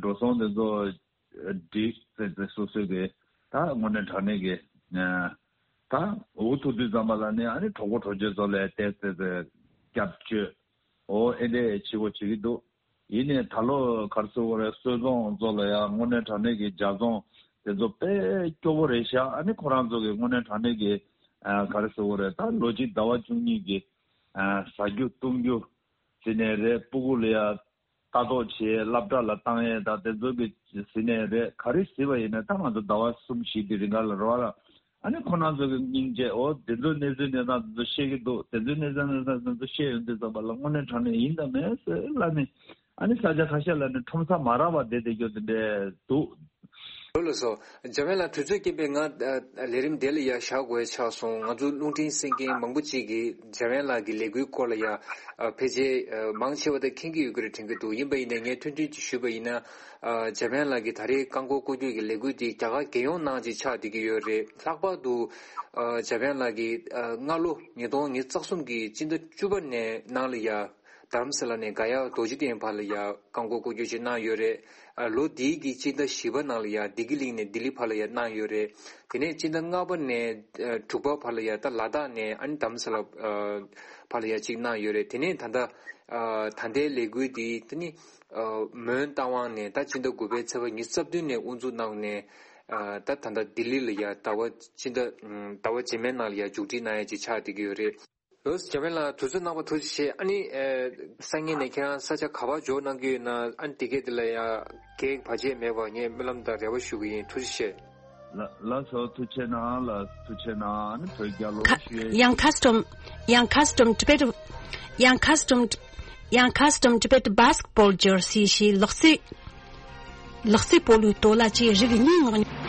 འགྲོ་སོང་དེ་ཚོ་སྒྲིག་ཙེ་ཙེ་སོ་སོའི་གི་ད་དངོས་གནས་དྲང་གནས་ཀྱི་ད་འུ་ཐུག་དུས་ཙམ་པ་ལ་ནི་ཨ་ནི་གྲོགས་པོ་གྲོགས་མཆེད་ཚོ་ལ་ཏེ་ཙེ་ཙེ་སྐྱབས་བཅོལ་འོ་ཨེ་འདྲས་བྱེད་དགོས་བྱེད་ཀྱི་འདུག་ཡིན་ནའི་ད་ལོ་ག་རེ་ཟེར་དགོས་རེད། སོལ་རྫོང་ཚོ་ལ་ཡང་དངོས་གནས་དྲང་གནས་ཀྱི་ཇ་རྫོང་དེ་ཚོ་དཔེ་སྐྱོ་པོ་རེད་ཤག་ཨ་ནི་ཁོ་རང་ཚོ་གི་དངོས་གནས་དྲང་གནས་ཀྱི་ཨ་ག་རེ་ཟེར་དགོས་རེད། ད་ལོ་གཅིག་ཟླ་བ་བཅུ་གཉིས་ཀྱི་ཨ་ཟ་རྒྱུ་བཏུང་རྒྱུ་ཟེར་ནས་རེད། སྤུ་གུ་ལ་ཡང་ལྟ་རྟོག་བྱེད། སློབ་གྲྭ་ལ་བཏང་ཡས་དང་དེ་ཚོ་གི་ཟེར་ནས་རེད། ག་རེ་ཟེར་བ་ཡིན་ན་ད་ང་ཚོ་ཟླ་བ་གསུམ་བཞི་དེ་རིང་ག་ལ་རོ་ལ། ཨ་ནི་ཁོ་རང་ཚོ་གི་སྙིང་རྗེ་འོ་དེ་ཚོའི་གནས་ཚུལ་གནས་སྟངས་དེ་ཚོ་ཤེས་ཀྱི་འདུག་དེ་ཚོའི་གནས་ཚུལ་གནས་སྟངས་དེ་ཚོ་ཤེས་ཡོང་དུས་ཙམ་པ་ལ་དངོས་གནས་དྲང་གནས་ཡིན་དང་མིན་ཟེར་ལབ་ནས་ཨ་ནི་ས་ཆ་ཁ་ཤས་ལ་ནི་ཁྲོམ་ས་མ་རག་པ་བསྡད་བསྡད་རྒྱུ་དེ་འདྲས་འདུག་ལགས་སོ། འཇམ་དབྱངས་ལགས་དུས་ཚོད་རྐྱེན་པས་ང་ཨ་ལས་རིམ་དེ་ལ་ཡ་བཞག་དགོས་ཆགས་སོང་། ང་ཚོ་རླུང་འཕྲིན་གསན་མཁན་མང་པོ་ཅིག་གིས་འཇམ་དབྱངས་ལགས་ཀྱི་ལས་འགུལ་སྐོར་ལ་ཡ་ཨ་ཕལ་ཆེར་ཨ་མང་ཆེ་བ་དེ་མཁྱེན་གྱི་ཡོད་ཀྱི་རེད་དྲན་གྱི་འདུག་ཡིན་པ་ཡིན་ནའི་ངས་ཐུང་ཐུང་ཅིག་ཞུས་པ་ཡིན་ན། ཨ་འཇམ་དབྱངས་ལགས་ཀྱི་ད་རེས་རྐང་འཁོར་སྐོར་སྐྱོད་ཀྱི་ལས་འགུལ་འདི་རྒྱ་གར་རྒྱལ་ཡོངས་ནང་ཅིག་ཆགས་བསྡད་ཀྱི་ཡོད་རེད། ལྷག་པར་དུ་ཨ་འཇམ་དབྱངས་ལགས་ཀྱིས་ཨ་སྔ་ལོ་ཉིས་སྟོང་ཉི་ཤུ་རྩ་གསུམ་གྱི་སྤྱི་ཟླ་བཅུ་པ་ནས་ནང་ལ་ཡ་རྡ་རམ་ས་ལ་ནས་ག་ཡ་རྡོ་རྗེ་གདན་བར་ལ་ཡ་རྐང་འཁོར་སྐོར་སྐྱོད་ཅིག་གནང་ཡོད་རེད། ཨ་ལོ་འདིའི་གི་སྤྱི་ཟླ་བཞི་པ་ནང་ལ་ཡ་བདེ་སྐྱིད་གླིང་ནས་ལྡི་ལི་བར་ལ་ཡ་གནང་ཡོད་རེད། དེ་ནས་སྤྱི་ཟླ་ལྔ་པ་ནས་ཨ་དྲུག་པ་བར་ལ་ཡ་ད་ལ་དྭགས་ནས་ཨ་ནི་རྡ་རམ་ས་ལ་ཨ་བར་ལ་ཡ་གཅིག་གནང་ཡོད་རེད། དེ་ནས་ད་ལྟ་ཨ་ད་ལྟའི་ལས་འགུལ་འདི་ད་ནི་ཨ་མོན་རྟ་དབང་ནས་ད་སྤྱི་ཟླ་དགུ་པའི་ཚེས་པ་ཉི་ཤུ་རྩ་བདུན་ནས་དབུ་འཛུགས་གནང་ནས་ཨ་ད་ད་ལྟ་ལྡི་ལི་ལ་ཡ་ཟླ་བ་སྤྱི་ཟླ་ཨ་ཟླ་བ་རྗེས་མའི་ནང་ལ་ཡ་མཇུག་སྒྲིལ་གནང་ཡ་ཅིག་ཆགས་བསྡད་ཀྱི་ཡོད་རེད། ལགས་སོ། འཇམ་དབྱངས་ལགས་དུས་ཚོད་གནང་བར་ཐུགས་རྗེ་ཆེ། ཨ་ནི་ཨེ་སང་ཉིན་ནས་ཁྱེད་རང་ས་ཆ་ག་པར་འབྱོར་གནང་གི་ཡོད་ན་ཨ་ནི་དེ་གས་དེ་ལ་ཡང་གེགས་བར་ཆད་མེད་པར་ངས་སྨོན་ལམ་དང་རེ་བ་ཞུ་གི་ཡིན། ཐུགས་རྗེ་ཆེ། ལ་ལགས་སོ། ཐུགས་རྗེ་གནང་། ལགས་ཐུགས་རྗེ་གནང་། ཨ་ནི་བོད་རྒྱལ་ལོ་ཁ་ཞུ་ཡས། Young custom, young custom Tibet, young custom, young custom Tibet basketball jersey ཞེས་ལག་རྩེད། ལག་རྩེད་སྤོ་ལོའི་སྟོད་ལྭ་བཅས་རིགས་གཉིས་ངོ་།